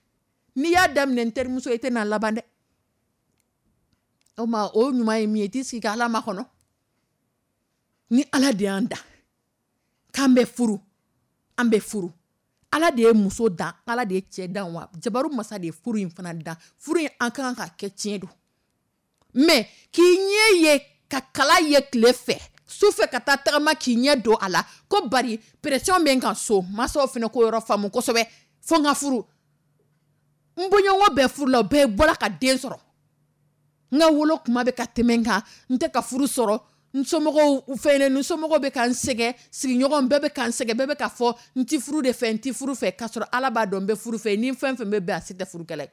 Speaker 2: N'i y'a daminɛ n terimuso, i tɛ n'a laban dɛ. O ma o ɲuman ye min ye, i t'i sigi ka Ala makɔnɔ. Ni Ala de y'an da k'an bɛ furu, an bɛ furu. Ala de ye muso dan, Ala de ye cɛ dan, wa jabaru masa de ye furu in fana dan. Furu in an kan ka kɛ tiɲɛ don, mais k'i ɲɛ ye ka kala ye tile fɛ, su fɛ ka taa tagama k'i ɲɛ don a la, ko bari pression bɛ n kan so, mansaw fana ko yɔrɔ faamu kosɛbɛ, fo n ka furu. N bɔɲɔgɔn bɛɛ furu la, o bɛɛ bɔra ka den sɔrɔ. N ka wolo kuma bɛ ka tɛmɛ n kan, n tɛ ka furu sɔrɔ, n somɔgɔw fɛn, n somɔgɔw bɛ ka n sɛgɛn, sigiɲɔgɔn bɛɛ bɛ ka n sɛgɛn, bɛɛ bɛ ka fɔ n ti furu de fɛ, n ti furu fɛ, k'a sɔrɔ Ala b'a dɔn n bɛ furu fɛ. Ni fɛn fɛn bɛ bɛn, a si tɛ furukɛla ye.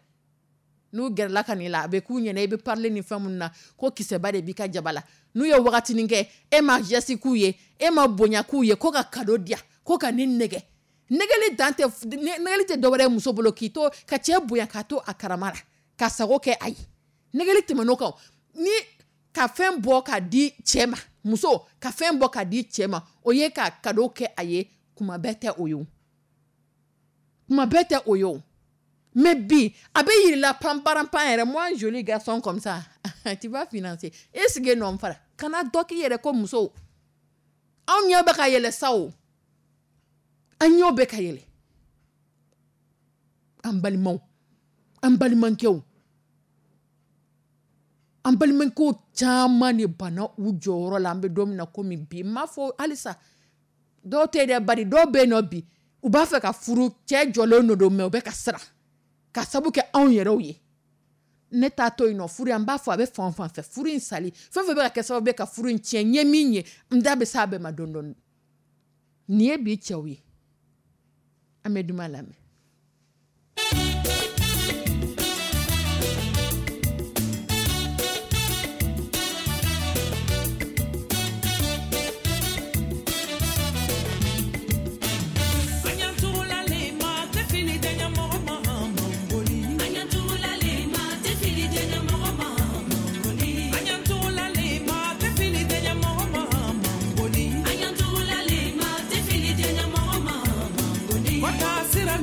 Speaker 2: N'u gɛrɛla ka n'i la, a bɛ k'u ɲɛna i bɛ parler ni fɛn minnu na, ko kisɛba de b'i ka jaba la. N'u ye wagatinin kɛ, e ma geste k'u ye, e ma bonya k'u ye, ko ka cadeau di yan, ko ka nin nɛgɛ. Nɛgɛli dan tɛ, nɛgɛli tɛ dɔwɛrɛ ye muso bolo, k'i to ka cɛ bonya k'a to a karama la, ka sago kɛ a ye. Nɛgɛli tɛmɛn'o kan, ni ka fɛn bɔ k'a di cɛ ma, muso ka fɛn bɔ k'a di cɛ ma, o ye ka cadeau kɛ a ye, kuma bɛɛ tɛ o ye o, kuma bɛɛ tɛ o ye o. Mais bi a bɛ yir'i la panparanpan yɛrɛ, moi joli garçon comme ça, tu vas financer. E sigi nɔ fara, kana dɔ k'i yɛrɛ ko muso. Anw ɲɛ bɛ ka yɛlɛ sa o, an ɲɛw bɛ ka yɛlɛ. An balimaw, an balimakɛw, an balimakɛw caman de banna u jɔyɔrɔ la. An bɛ don min na komi bi, n m'a fɔ halisa dɔw tɛ dɛ, bari dɔw bɛ yen nɔ bi, u b'a fɛ ka furu, cɛ jɔlen don, mais u bɛ ka siran ka sabu kɛ anw yɛrɛw ye. Ne t'a to yen nɔ, furu an b'a fɔ a bɛ fan o fan fɛ, furu in sali fɛn fɛn bɛ ka kɛ sababu ye ka furu in tiɲɛ, n ye min ye, n da bɛ s'a bɛɛ ma dɔɔni dɔɔni. Nin ye bi cɛw ye. An bɛ duman lamɛn.
Speaker 3: Sira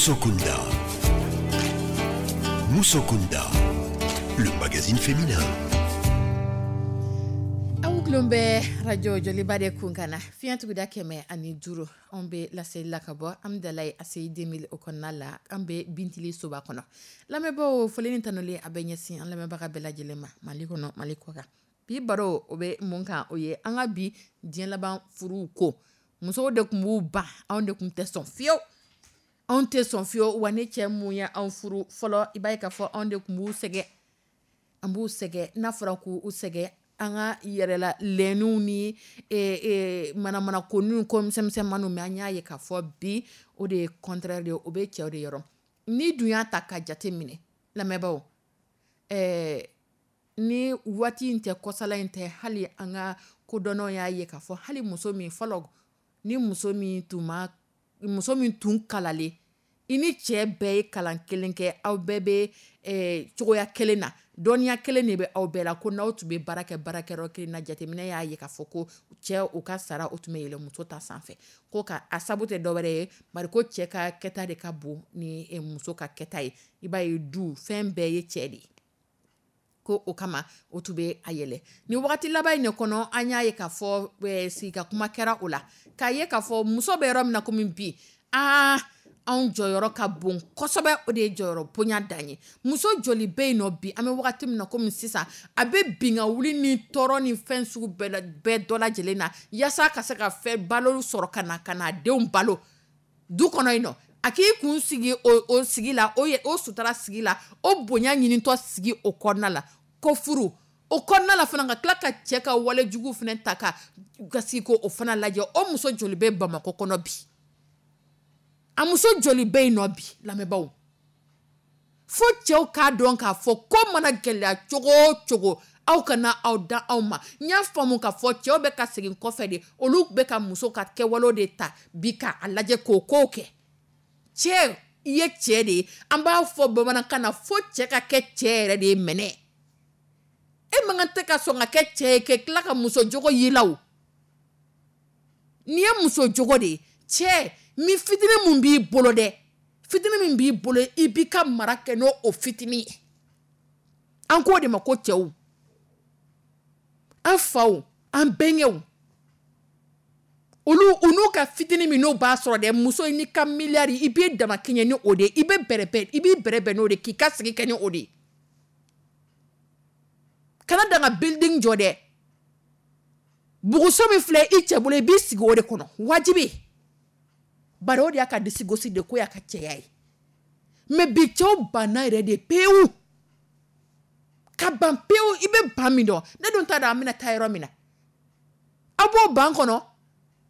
Speaker 1: Musokunda. Musokunda, le magazine féminin.
Speaker 2: Aw tulon bɛ radio Joliba de kun kan na, fiɲɛ tuguda kɛmɛ ani duuru. Anw bɛ laseli la ka bɔ Amidalayi A C I deux mille o kɔnɔna la. An bɛ Bintili soba kɔnɔ. Lamɛnbaaw, foli ni tanuli a bɛ ɲɛsin an lamɛnbaga bɛɛ lajɛlen ma, Mali kɔnɔ, Mali kɔ kan. Bi baro, o bɛ mun kan? O ye an ka bi diɲɛ laban furuw ko. Musow de tun b'u ban, anw de tun tɛ sɔn fiyewu, anw tɛ sɔn fiyewu. Wa ni cɛ mun ye anw furu fɔlɔ, i b'a ye k'a fɔ anw de tun b'u sɛgɛn, an b'u sɛgɛn. N'a fɔra k'u sɛgɛn, an ka yɛrɛla lɛnniw ni manamana ko ni ko misɛnmisɛnmaninw. Mais an y'a ye k'a fɔ bi, o de ye contraire de ye, o bɛ cɛw de yɔrɔ. Ni dun y'a ta ka jate minɛ, lamɛnbaaw, ɛɛ ni waati in tɛ, kɔsala in tɛ, hali an ka kodɔnnaw y'a ye k'a fɔ hali muso min fɔlɔ, ni muso min tun ma, muso min tun kalalen, i ni cɛ bɛɛ ye kalan kelen kɛ, aw bɛɛ bɛ cogoya kelen na, dɔnniya kelen de bɛ aw bɛɛ la, ko n'aw tun bɛ baara kɛ baarakɛyɔrɔ kelen na, jateminɛ y'a ye k'a fɔ ko cɛ, u ka sara, o tun bɛ yɛlɛ muso ta sanfɛ. Ko ka a sabu tɛ dɔwɛrɛ ye, bari ko cɛ ka kɛta de ka bon ni muso ka kɛta ye. I b'a ye, du fɛn bɛɛ ye cɛ de ye, ko o kama o tun bɛ a yɛlɛ. Ni wagati laban in de kɔnɔ, an y'a ye k'a fɔ sigi ka kuma kɛra o la, k'a ye k'a fɔ muso bɛ yɔrɔ min na komi bi, aa, anw jɔyɔrɔ ka bon kosɛbɛ. O de ye jɔyɔrɔ bonya dan ye. Muso joli bɛ yen nɔ bi, an bɛ wagati min na komi sisan, a bɛ bin ka wuli ni tɔɔrɔ ni fɛn sugu bɛɛ bɛɛ dɔ lajɛlen na, yaasa ka se ka fɛn balo sɔrɔ ka na ka na denw balo du kɔnɔ yen nɔ? A k'i kun sigi o o sigi la, o o sutura sigi la, o bonya ɲinitɔ sigi o kɔnɔna la, ko furu o kɔnɔna la fana, ka tila ka cɛ ka walejugu fana ta ka ka sigi ko o fana lajɛ. O muso joli bɛ Bamakɔ kɔnɔ bi? A muso joli bɛ yen nɔ bi, lamɛnbaaw? Fo cɛw k'a dɔn k'a fɔ ko mana gɛlɛya cogo o cogo, aw kana aw da aw ma. N y'a faamu k'a fɔ cɛw bɛ ka segin kɔfɛ de, olu bɛ ka muso ka kɛwalew de ta bi k'a lajɛ k'o kow kɛ. Cɛ, i ye cɛ de ye. An b'a fɔ bamanankan na, fo cɛ ka kɛ cɛ yɛrɛ de ye. Mɛnɛ e man kan tɛ ka sɔn ka kɛ cɛ ye ka tila ka muso jogo y'i la. O n'i ye muso jogo de ye, cɛ min fitinin mun b'i bolo dɛ, fitinin min b'i bolo, i b'i ka mara kɛ n'o o fitinin ye. An k'o de ma ko cɛw, an faw, an bɛnkɛw, olu u n'u ka fitinin min n'o b'a sɔrɔ dɛ. Muso, n'i ka miliyari, i b'i dama kɛɲɛ ni o de ye, i bɛ bɛrɛbɛn, i b'i bɛrɛbɛn n'o de k'i ka sigi kɛ ni o de ye. Kana dan ka building jɔ dɛ. Buguso min filɛ i cɛ bolo, i b'i sigi o de kɔnɔ, wajibi, bari o de y'a ka disi gosi de ko y'a ka cɛya ye. Mais bi, cɛw banna yɛrɛ de pewu, ka ban pewu. I bɛ ban min dɔn, ne dun t'a dɔn an bɛna taa yɔrɔ min na. Aw b'o ban kɔnɔ,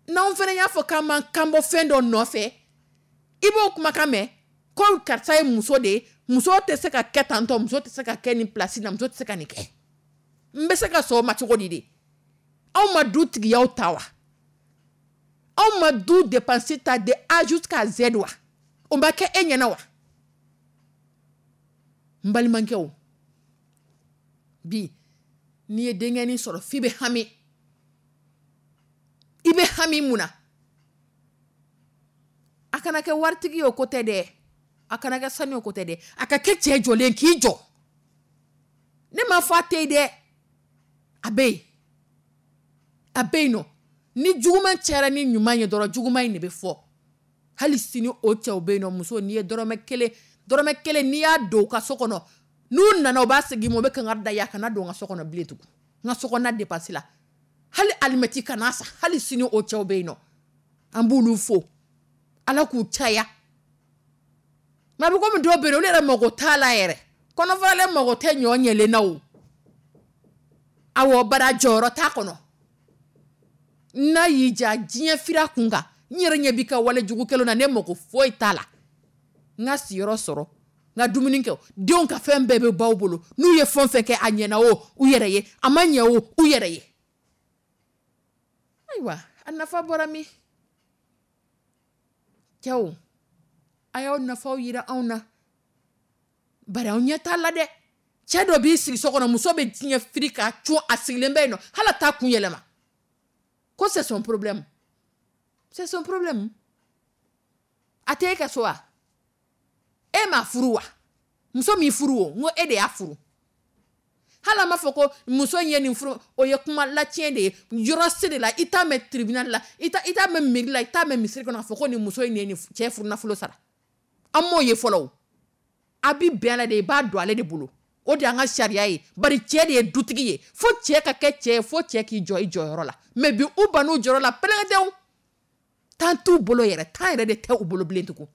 Speaker 2: n'anw fana y'a fɔ k'an b'an kan bɔ fɛn dɔ nɔfɛ, i b'o kumakan mɛn ko karisa ye muso de ye, muso tɛ se ka kɛ tantɔ, muso tɛ se ka kɛ nin place na, muso tɛ se ka nin kɛ. N bɛ se ka sɔn o ma cogo di de? Anw ma du tigiyaw ta wa? Anw ma du dépense ta de A jusqu'à Z wa? O ma kɛ e ɲɛna wa? N balimakɛw, bi n'i ye denkɛnin sɔrɔ, f'i bɛ hami. I bɛ hami mun na? A kana kɛ waritigi ye, o ko tɛ dɛ. A kana kɛ sanu ye, o ko tɛ dɛ. A ka kɛ cɛ jɔlen k'i jɔ. Ne m'a fɔ a tɛ yen dɛ, a bɛ yen, a bɛ yen nɔ. Ni juguman cayara ni ɲuman ye dɔrɔn, juguman in de bɛ fɔ. Hali sini, o cɛw bɛ yen nɔ. Muso, n'i ye dɔrɔmɛ kelen, dɔrɔmɛ kelen, n'i y'a don u ka so kɔnɔ, n'u nana, u b'a segin i ma, u bɛ kangari da i ye: a kana don n ka so kɔnɔ bilen tugun, n ka so kɔnɔna dépense la, hali alimɛti kana san. Hali sini, o cɛw bɛ yen nɔ. An b'olu fo, Ala k'u caya. Mɛ a bɛ komi dɔw bɛ yen, olu yɛrɛ mago t'a la yɛrɛ, kɔnɔfaralen mago tɛ ɲɔ ɲɛlen na. O awɔ, bara jɔyɔrɔ t'a kɔnɔ. N'a y'i ja diɲɛ fira kun kan, n yɛrɛ ɲɛ b'i ka wale jugu kɛlenw na, ne mago foyi t'a la. N ka siyɔrɔ sɔrɔ, n ka dumuni kɛ, denw ka fɛn bɛɛ bɛ baw bolo. N'u ye fɛn o fɛn kɛ, a ɲɛna o, u yɛrɛ ye, a ma ɲɛ o, u yɛrɛ ye. Ayiwa, a nafa bɔra min? Cɛw, a y'aw nafaw yira anw na, bari anw ɲɛ t'a la dɛ. Cɛ dɔ b'i sigi so kɔnɔ, muso bɛ diɲɛ firi k'a cun, a sigilen bɛ yen nɔ, hali a t'a kun yɛlɛma, ko c'est son problème, c'est son problème. A tɛ e ka so wa? E m'a furu wa? Muso m'i furu o, n ko e de y'a furu. Hali an b'a fɔ ko muso in ye nin furu, o ye kuma latiɲɛ de ye. Yɔrɔ si de la i t'a mɛn tribunal la, i t'a mɛn mairie la, i t'a mɛn misiri kɔnɔ k'a fɔ ko nin muso in ye nin cɛ furu nafolo sara. An m'o ye fɔlɔ o. A bi bɛn la de, i b'a don ale de bolo. O de y'an ka sariya ye. Bari cɛ de ye dutigi ye. Fo cɛ ka kɛ cɛ ye, fo cɛ k'i jɔ i jɔyɔrɔ la. Mais bi u bann'u jɔyɔrɔ la pɛlɛkɛtɛw. Tan t'u bolo yɛrɛ, tan yɛrɛ de tɛ u bolo bilen tugun.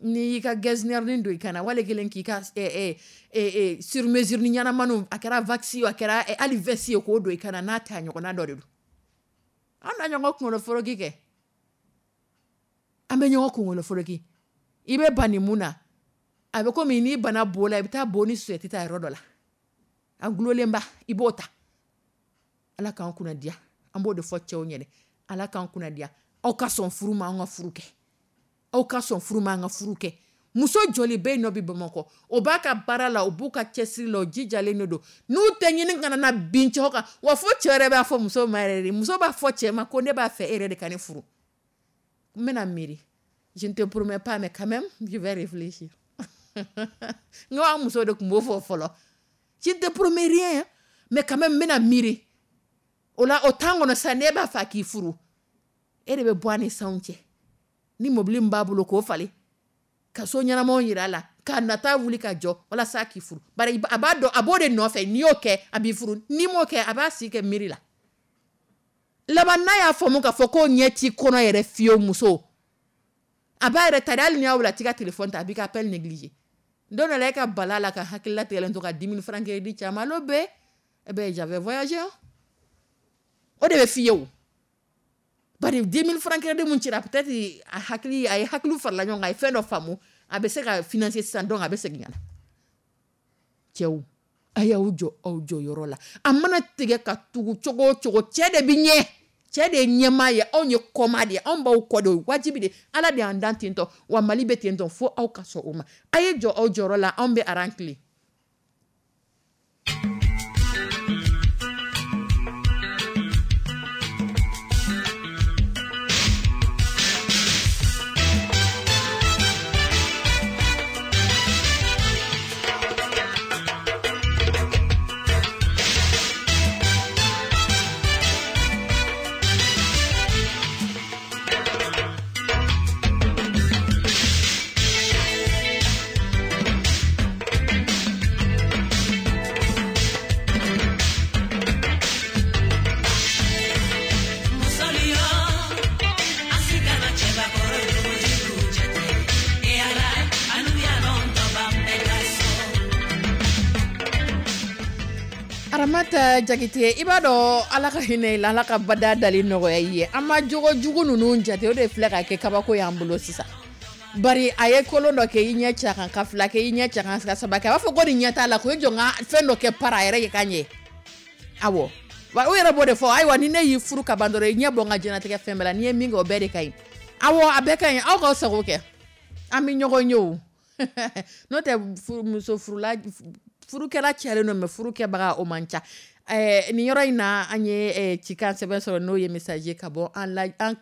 Speaker 2: N'i y'i ka getzner don i kana wale kelen k'i ka sur mesure ni ɲɛnamaniw, a kɛra waxi a kɛra hali veste ye, k'o don i kana n'a ta ɲɔgɔnna dɔ de don. An na ɲɔgɔn kunkolo foroki kɛ, an bɛ ɲɔgɔn kunkolo foroki. I bɛ ban nin mun na, a bɛ komi n'i bana bo la, i bɛ taa bo ni suyɛti ta yɔrɔ dɔ la, a gulolenba i b'o ta. Ala k'an kunna diya, an b'o de fɔ cɛw ɲɛnɛ. Ala k'an kunna diya, aw ka sɔn furu ma, an ka furu kɛ. Aw ka sɔn furu ma, an ka furu kɛ. Muso joli bɛ yen nɔ bi Bamakɔ, o b'a ka baara la, o b'u ka cɛsiri la, o jijalen de don. N'u tɛ ɲini ka na bin cɛw kan, wa fo cɛ yɛrɛ b'a fɔ muso ma yɛrɛ de, muso b'a fɔ cɛ ma ko ne b'a fɛ e yɛrɛ de ka ne furu. N bɛna miiri, je ne te promets pas, mais quand même je vais réfléchir. N ko an muso de tun b'o fɔ fɔlɔ, je ne te promets rien, mais quand même n bɛna miiri. O la o temps kɔnɔ sisan, n'e b'a fɛ a k'i furu, e de bɛ bɔ a ni sanw cɛ. Ni mobili min b'a bolo k'o falen, ka so ɲɛnamaw yira a la, ka nata wuli ka jɔ walasa k'i furu. Bari a b'a dɔn, a b'o de nɔfɛ. N'i y'o kɛ, a b'i furu. N'i m'o kɛ, a b'a si kɛ miiri la. Laban n'a y'a faamu k'a fɔ ko ɲɛ t'i kɔnɔ yɛrɛ fiyewu, muso a b'a yɛrɛ ta de. Hali n'i y'a wele, a t'i ka téléphone ta, a b'i ka appel négliger. Don dɔ la, e ka bala la ka hakili latigɛlen to ka dix mille francs crédit ci a ma, allo B, eh ben j'avais voyagé. O de bɛ f'i ye o. Bari dix mille francs crédit mun cira, peut-être a hakili, a ye hakiliw farala ɲɔgɔn kan, a ye fɛn dɔ faamu, a bɛ se ka financer sisan, donc a bɛ segin ka na. Cɛw, a y'aw jɔ aw jɔyɔrɔ la. A mana tigɛ ka tugu cogo o cogo, cɛ de bɛ ɲɛ. Cɛ de ye ɲɛmaa ye, anw ye kɔmaa de ye, anw b'aw kɔ de, o ye wajibi de. Ala de y'an dan ten tɔ, wa Mali bɛ ten tɔ, fo aw ka sɔn o ma. A ye jɔ aw jɔyɔrɔ la, anw bɛ aran tilen. Aramata Jakite, i b'a dɔn Ala ka hinɛ i la, Ala ka bada dali nɔgɔya i ye. An ma jogo jugu ninnu jate, o de filɛ ka kɛ kabako y'an bolo sisan. Bari a ye kolon dɔ kɛ, i ɲɛ ci a kan, ka fila kɛ, i ɲɛ ci a kan, ka saba kɛ, a b'a fɔ ko nin ɲɛ t'a la, ko i jɔ n ka fɛn dɔ kɛ para a yɛrɛ ye ka ɲɛ. Awɔ, wa o yɛrɛ b'o de fɔ, ayiwa ni ne y'i furu ka ban dɔrɔn, i ɲɛ bɔ n ka diɲɛlatigɛ fɛn bɛɛ la, n'i ye min kɛ o bɛɛ de ka ɲi. Awɔ, a bɛɛ ka ɲi, aw k'aw sago kɛ, an bɛ ɲɔgɔn ye o. N'o tɛ muso furula, furukɛla cayalen don, mais furukɛbaga o man ca. Ɛɛ nin yɔrɔ in na, an ye cikan sɛbɛn sɔrɔ, n'o ye message ye ka bɔ an la, an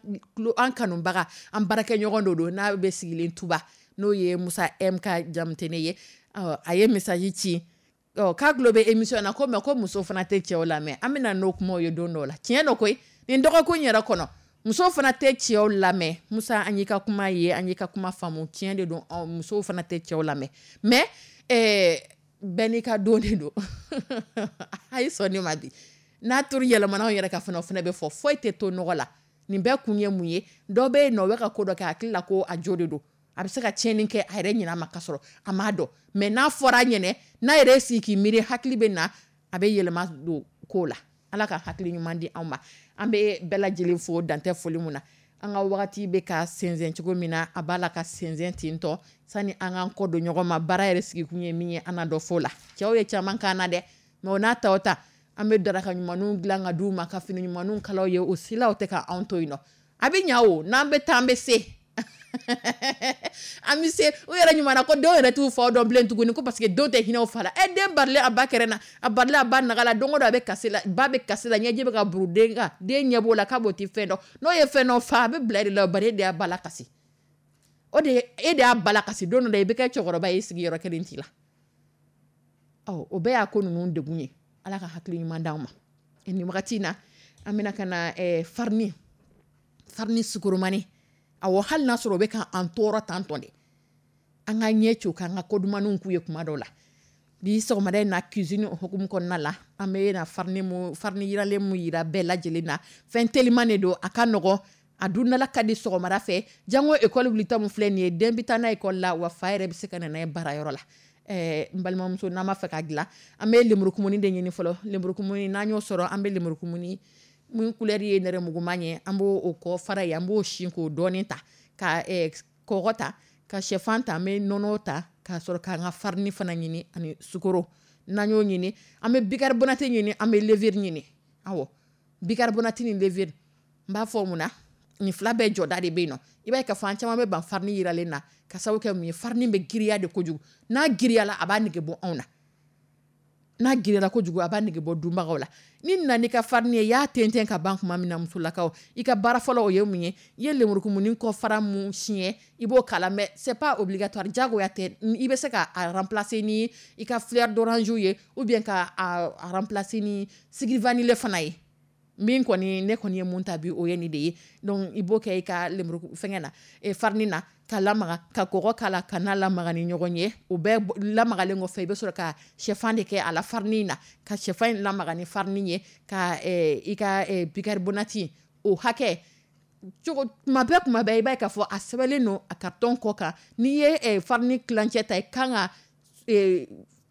Speaker 2: an kanubaga, an baarakɛɲɔgɔn dɔ don, n'a bɛ sigilen Tuba, n'o ye Musa M ka Jamutene ye. Ɔ, a ye message ci, ɔ k'a tulo bɛ émission na, ko mais ko muso fana tɛ cɛw lamɛn. An bɛna n'o kumaw ye don dɔw la. Tiɲɛ don koyi, nin dɔgɔkun yɛrɛ kɔnɔ, muso fana tɛ cɛw lamɛn. Musa, an y'i ka kuma ye, an y'i ka kuma faamu, tiɲɛ de don, musow fana tɛ cɛw lamɛn. Mais ɛɛ bɛɛ n'i ka don de don. A ye sɔn ne ma bi. N'a turu yɛlɛmana anw yɛrɛ ka fana, o fana bɛ fɔ, foyi tɛ to nɔgɔ la. Nin bɛɛ kun ye mun ye? Dɔ bɛ yen nɔ, o bɛ ka ko dɔ kɛ, a hakili la ko a jo de don. A bɛ se ka tiɲɛni kɛ a yɛrɛ ɲinɛ ma ka sɔrɔ a m'a dɔn. Mais n'a fɔra a ɲɛnɛ, n'a yɛrɛ sigi k'i miiri, hakili bɛ na, a bɛ yɛlɛma don ko la. Ala ka hakili ɲuman di anw ma. An bɛ bɛɛ lajɛlen fo dantɛ foli mun na. An ka wagati bɛ ka sɛnsɛn cogo min na, a b'a la ka sɛnsɛn ten tɔ, sani an k'an kɔ don ɲɔgɔn ma. Baara yɛrɛ sigikun ye min ye, an na dɔ fɔ o la. Cɛw ye caman k'an na dɛ, mais o n'a ta o ta, an bɛ daraka ɲumanw dilan ka d'u ma, ka fini ɲumanw kala u ye, o silaw tɛ ka anw to yen nɔ. A bɛ ɲa o, n'an bɛ taa an bɛ se. An bɛ se. U yɛrɛ ɲuman na ko denw yɛrɛ t'u faw dɔn bilen tuguni, ko parce que denw tɛ hinɛ u fa la. Ɛ, den barilen a ba kɛrɛ na, a barilen a ba naga la, don o don a bɛ kasi la, ba bɛ kasi la, ɲɛji bɛ ka buru den kan, den ɲɛ b'o la k'a b'o ti fɛn dɔn. N'o ye fɛn dɔ fa, a bɛ bila e de la, bari e de y'a ba la kasi. O de e de y'a bala kasi don dɔ la, i bɛ kɛ cɛkɔrɔba ye, i sigiyɔrɔ kelen t'i la. Ɔ, o bɛɛ y'a ko ninnu degun ye. Ala ka hakili ɲuman d'anw ma. Nin wagati in na, an bɛna ka na eh, farini farini sukoromani. Awɔ, hali n'a sɔrɔ o bɛ ka an tɔɔrɔ tan tɔn de, an ka ɲɛ ci o kan, an ka kodumanniw k'u ye kuma dɔw la. Bi sɔgɔmada in na, cuisine o hukumu kɔnɔna la, an bɛ na farini mu farini yiralen mu yira bɛɛ lajɛlen na. Fɛn teliman de don, a ka nɔgɔn, a dundala ka di sɔgɔmada fɛ. Jango ekɔli wulita min filɛ nin ye, den bɛ taa n'a ye ekɔli la, wa fa yɛrɛ bɛ se ka na n'a ye baarayɔrɔ la. Ɛɛ n balimamuso, n'an b'a fɛ k'a dilan, an bɛ lemurukumuni de ɲini fɔlɔ. Lemurukumuni, n'an y'o sɔrɔ, an bɛ lemurukumuni mun couleur ye nɛrɛmuguman ye, an b'o o kɔ fara ye, an b'o sin k'o dɔɔnin ta, ka ɛɛ kɔgɔ ta, ka sɛfan ta, an bɛ nɔnɔ ta, k'a sɔrɔ k'an ka farini fana ɲini ani sukoro. N'an y'o ɲini, an bɛ bicarbonate ɲini, an bɛ levure ɲini. Awɔ, bicarbonate ni levure, n b'a fɔ mun na, nin fila bɛɛ jɔda de bɛ yen nɔ. I b'a ye k'a fɔ an caman bɛ ban farini yiralen na, ka sababu kɛ mun ye? Farini bɛ giriya de kojugu. N'a giriyala, a b'a nege bɔ anw na. N'a giriyala kojugu, a b'a nege bɔ dunbagaw la. Ni nana n'i ka farini ye, i y'a tɛntɛn ka ban tuma min na, musolakaw, i ka baara fɔlɔ o ye mun ye? I ye lemurukumuni kɔ fara mun siɲɛ, i b'o k'a la. Mais c'est pas obligatoire, diyagoya tɛ. I bɛ se ka a remplacer ni i ka fleur d'orange ye, ou bien ka a remplacer ni sucre vanillé fana ye. Min kɔni ne kɔni ye mun ta bi, o ye nin de ye. Donc i b'o kɛ i ka lemuru fɛngɛ na, e farini na, ka lamaga, ka kɔgɔ k'a la, ka n'a lamaga ni ɲɔgɔn ye. O bɛɛ lamagalen kɔfɛ, i bɛ sɔrɔ ka sɛfan de kɛ a la farini na, ka sɛfan in lamaga ni farini ye, ka i ka bicarbonate o hakɛ cogo. Tuma bɛɛ tuma bɛɛ, i b'a ye k'a fɔ a sɛbɛnlen don a carton kɔ kan. N'i ye farini tilancɛ ta, i kan ka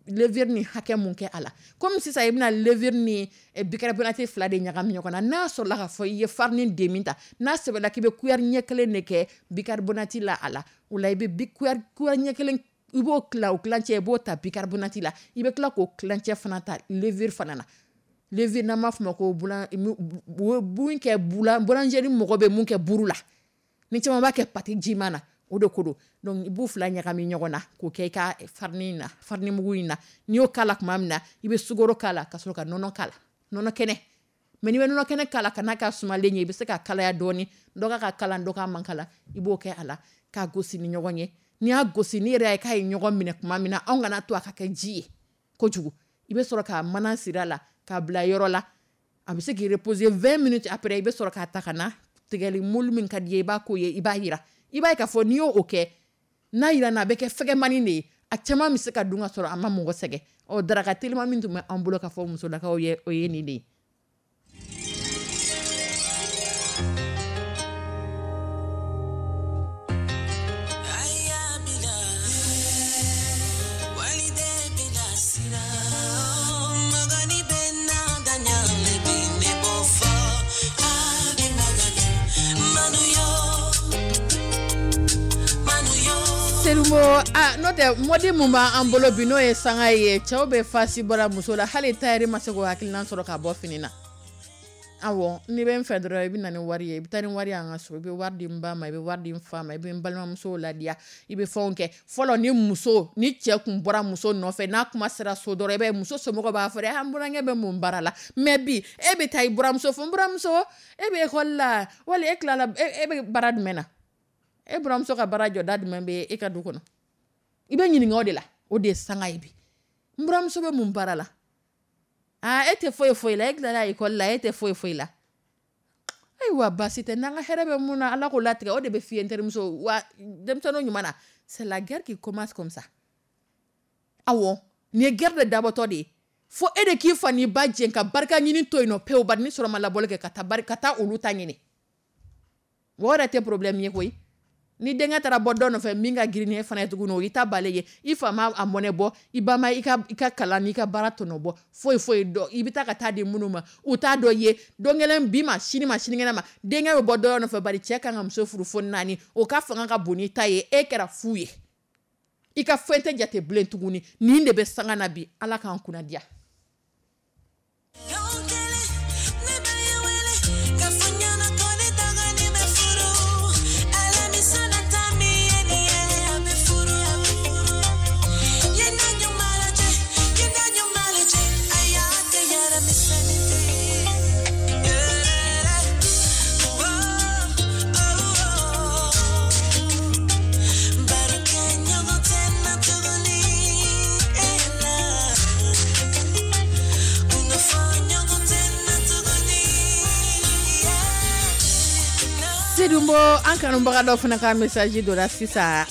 Speaker 2: levure ni hakɛ mun kɛ a la. Komi sisan i bɛna levure ni bicarbonate fila de ɲagami ɲɔgɔn na, n'a sɔrɔla k'a fɔ i ye farini demi ta, n'a sɛbɛnna k'i bɛ cuillère ɲɛ kelen de kɛ bicarbonate la a la, o la i bɛ cuillère ɲɛ kelen, i b'o tila, o tilancɛ i b'o ta bicarbonate la, i bɛ tila k'o tilancɛ fana ta levure fana na. Levure, n'an b'a fɔ o ma ko mun kɛ boulangerie, mɔgɔ bɛ mun kɛ buru la, ni caman b'a kɛ pâte jiman na, o de ko don. Donc i b'u fila ɲagami ɲɔgɔn na k'o kɛ i ka farini in na, farini mugu in na. N'i y'o k'a la tuma min na, i bɛ sukaro k'a la, ka sɔrɔ ka nɔnɔ k'a la, nɔnɔ kɛnɛ. Mais n'i bɛ nɔnɔ kɛnɛ k'a la, ka n'a ka sumalen ye, i bɛ se ka kalaya dɔɔni, dɔ ka ka kalan, dɔ ka man kalan, i b'o kɛ a la k'a gosi ni ɲɔgɔn ye. N'i y'a gosi, n'i yɛrɛ ye k'a ye ɲɔgɔn minɛ tuma min na, anw kana to a ka kɛ ji ye kojugu, i bɛ sɔrɔ ka mana siri a la k'a bila yɔrɔ la, a bɛ se k'i reposer vingt minutes. Après, i bɛ sɔrɔ k'a ta ka na tigɛli moule min ka di ye, i b'a k'o ye, i b'a yira. I b'a ye k'a fɔ n'i y'o kɛ, n'a yira na, a bɛ kɛ fɛgɛmani de ye, a caman bɛ se ka dun ka sɔrɔ a ma mɔgɔ sɛgɛn. Ɔ, daraka telima min tun bɛ an bolo ka fɔ musolakaw ye, o ye nin de ye. Serumo, a n'o tɛ, mɔdi mun b'an bolo bi, n'o ye sanga ye, cɛw bɛ fasi bɔra muso la, hali tayɛri ma se k'o hakilina sɔrɔ ka bɔ fini na. Awɔ, n'i bɛ n fɛ dɔrɔn, i bɛ na ni wari ye, i bɛ taa ni wari ye an ka so, i bɛ wari di n ba ma, i bɛ wari di n fa ma, i bɛ n balimamusow ladiya, i bɛ fɛnw kɛ. Fɔlɔ, ni muso ni cɛ kun bɔra muso nɔfɛ, n'a kuma sera so dɔrɔn, i b'a ye muso somɔgɔw b'a fɔ dɛ, an burankɛ bɛ mun baara la? Mais bi, e bɛ taa i buramuso fo, n buramuso, e bɛ ekɔli la, wali e tilala, e bɛ baara jumɛn na? E buramuso ka baara jɔda jumɛn bɛ e ka du kɔnɔ? I bɛ ɲininka o de la. O de ye sanga ye bi. N buramuso bɛ mun baara la? Aa, e tɛ foyi foyi la, e tilala ekɔli la, e tɛ foyi foyi la. Ayiwa, baasi tɛ, n'an ka hɛrɛ bɛ mun na, Ala k'o latigɛ. O de bɛ f'i ye, n terimuso wa denmisɛnninw ɲuman na, c'est la guerre qui commence comme ça. Awɔ, nin ye guerre de dabɔtɔ de ye, fo e de k'i fa n'i ba jɛn ka barika ɲini to yen nɔ pewu. Bari ni sɔrɔ ma labɔli kɛ ka taa bari ka taa olu ta ɲini, o yɛrɛ tɛ problème ye koyi. Ni denkɛ taara bɔ dɔ nɔfɛ min ka girin ni e fana ye tuguni, o y'i ta balen ye. I fa ma a mɔnɛ bɔ, i ba ma i ka i ka kalan n'i ka baara tɔnɔ bɔ, foyi foyi dɔ. I bɛ taa ka taa di minnu ma, u t'a dɔn ye don kelen bi ma, sini ma, sinikɛnɛ ma, denkɛ bɛ bɔ dɔ nɔfɛ. Bari cɛ kan ka muso furu fo naani, o ka fanga ka bon n'i ta ye, e kɛra fu ye, i ka fɛn tɛ jate bilen tuguni. Nin de bɛ sanga na bi. Ala k'an kunna diya. Sedumbo, an kanubaga dɔ fana ka message dɔ la sisan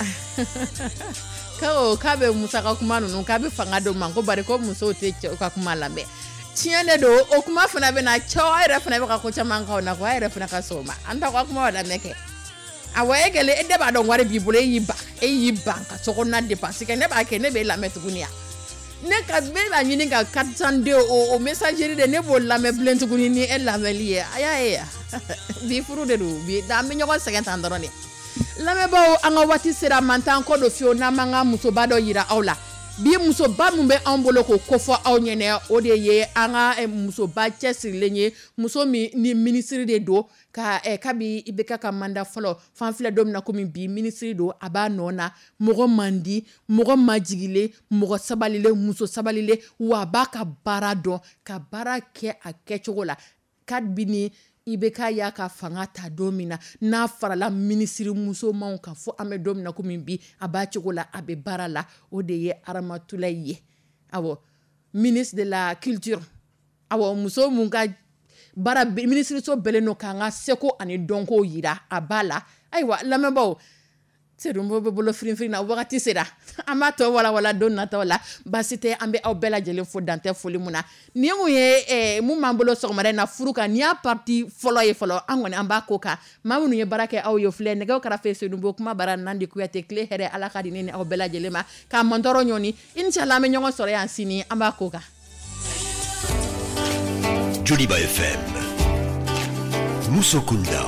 Speaker 2: ko k'a bɛ Musa ka kuma ninnu, k'a bɛ fanga d'o ma, ko bari ko musow tɛ cɛw ka kuma lamɛn. Tiɲɛ de don, o kuma fana bɛ na, cɛw a yɛrɛ fana bɛ ka ko caman k'aw na, ko a yɛrɛ fana ka sɔn o ma. An t'aw ka kuma lamɛn kɛ. Awɔ, e kɛlen, e de b'a dɔn wari b'i bolo, e y'i ban e y'i ban ka sokɔnɔna dépense kɛ. Ne b'a kɛ, ne b'e lamɛn tuguni ya? Ne ka ne b'a ɲini ka quatre cent deux o o messagerie de, ne b'o lamɛn bilen tuguni ni e lamɛnli ye. A y'a ye ya, bi furu de don bi, an bɛ ɲɔgɔn sɛgɛn tan dɔrɔn de. Lamɛnbaaw, an ka waati sera man t'an kɔ don fiyewu n'an m'an ka musoba dɔ yira aw la. Bi musoba min bɛ anw bolo k'o kofɔ aw ɲɛnɛ, o de ye an ka eh, musoba cɛsirilen ye, muso min ni minisiri de don ka eh, kabi I B K ka mandat fɔlɔ fan filɛ don min na komi bi, minisiri don, a b'a nɔ na. Mɔgɔ man di, mɔgɔ majigilen, mɔgɔ sabalilen, muso sabalilen, wa a b'a ka baara dɔn ka baara kɛ a kɛcogo la. Kabini I B K y'a ka fanga ta don min na, n'a farala minisiri musomanw kan, fo an bɛ don min na komi bi, a b'a cogo la, a bɛ baara la. O de ye Aramatulayi ye, awɔ, ministre de la Culture. Awɔ, muso mun ka baara minisiriso bɛlen don k'an ka seko ani dɔnko yira, a b'a la. Ayiwa lamɛnbaaw, Sedumbo bɛ bolo firinfirin na, wagati sera, an b'a tɔ walawala don nataw la. Baasi tɛ, an bɛ aw bɛɛ lajɛlen fo dantɛ foli mun na. Nin mun ye eh, mun b'an bolo sɔgɔmada in na furu kan, nin y'a partie fɔlɔ ye fɔlɔ. An kɔni an b'a ko kan, maa minnu ye baara kɛ aw ye filɛ nɛgɛw kɛrɛfɛ, Sedumbo kuma bara Nandi Kuyate. Tile hɛrɛ, Ala ka di ne ni aw bɛɛ lajɛlen ma k'a mantɔrɔ ɲɔni. Inshallah, an bɛ ɲɔgɔn sɔrɔ yan sini, an b'a ko kan.
Speaker 1: Joliba F M. Musokunda.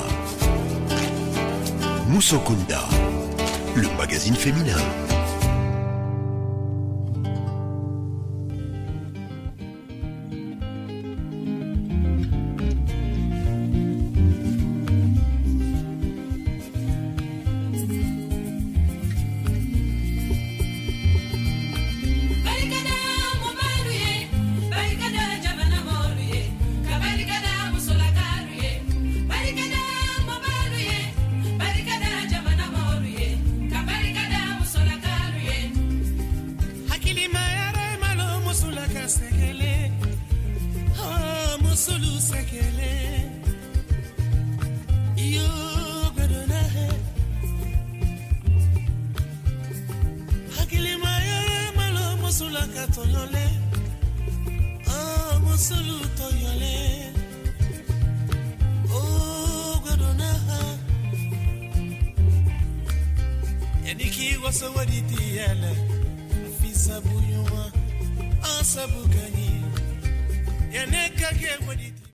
Speaker 1: Musokunda. Le magazine féminin.
Speaker 3: Barikada mubalu ye, barikada jamana mɔlu ye, ka barikada musolakalu ye. Barikada mubalu ye, barikada jamana mɔlu ye, ka barikada musolakalu ye.
Speaker 5: Hakilima yɛrɛ malo musolaka sɛgɛlɛ, oh, musolu sɛgɛlɛ iyo gbɛdɔnna hɛ. Hakilima yɛrɛ malo musolaka tɔɲɔlɛ, oh, musolu tɔɲɔlɛ, oh, gbɛdɔnna hɛ. Yani k'i waso wari di yɛlɛ fi sabu ɲuman an sabu ka ɲi yanni ka kɛ wari.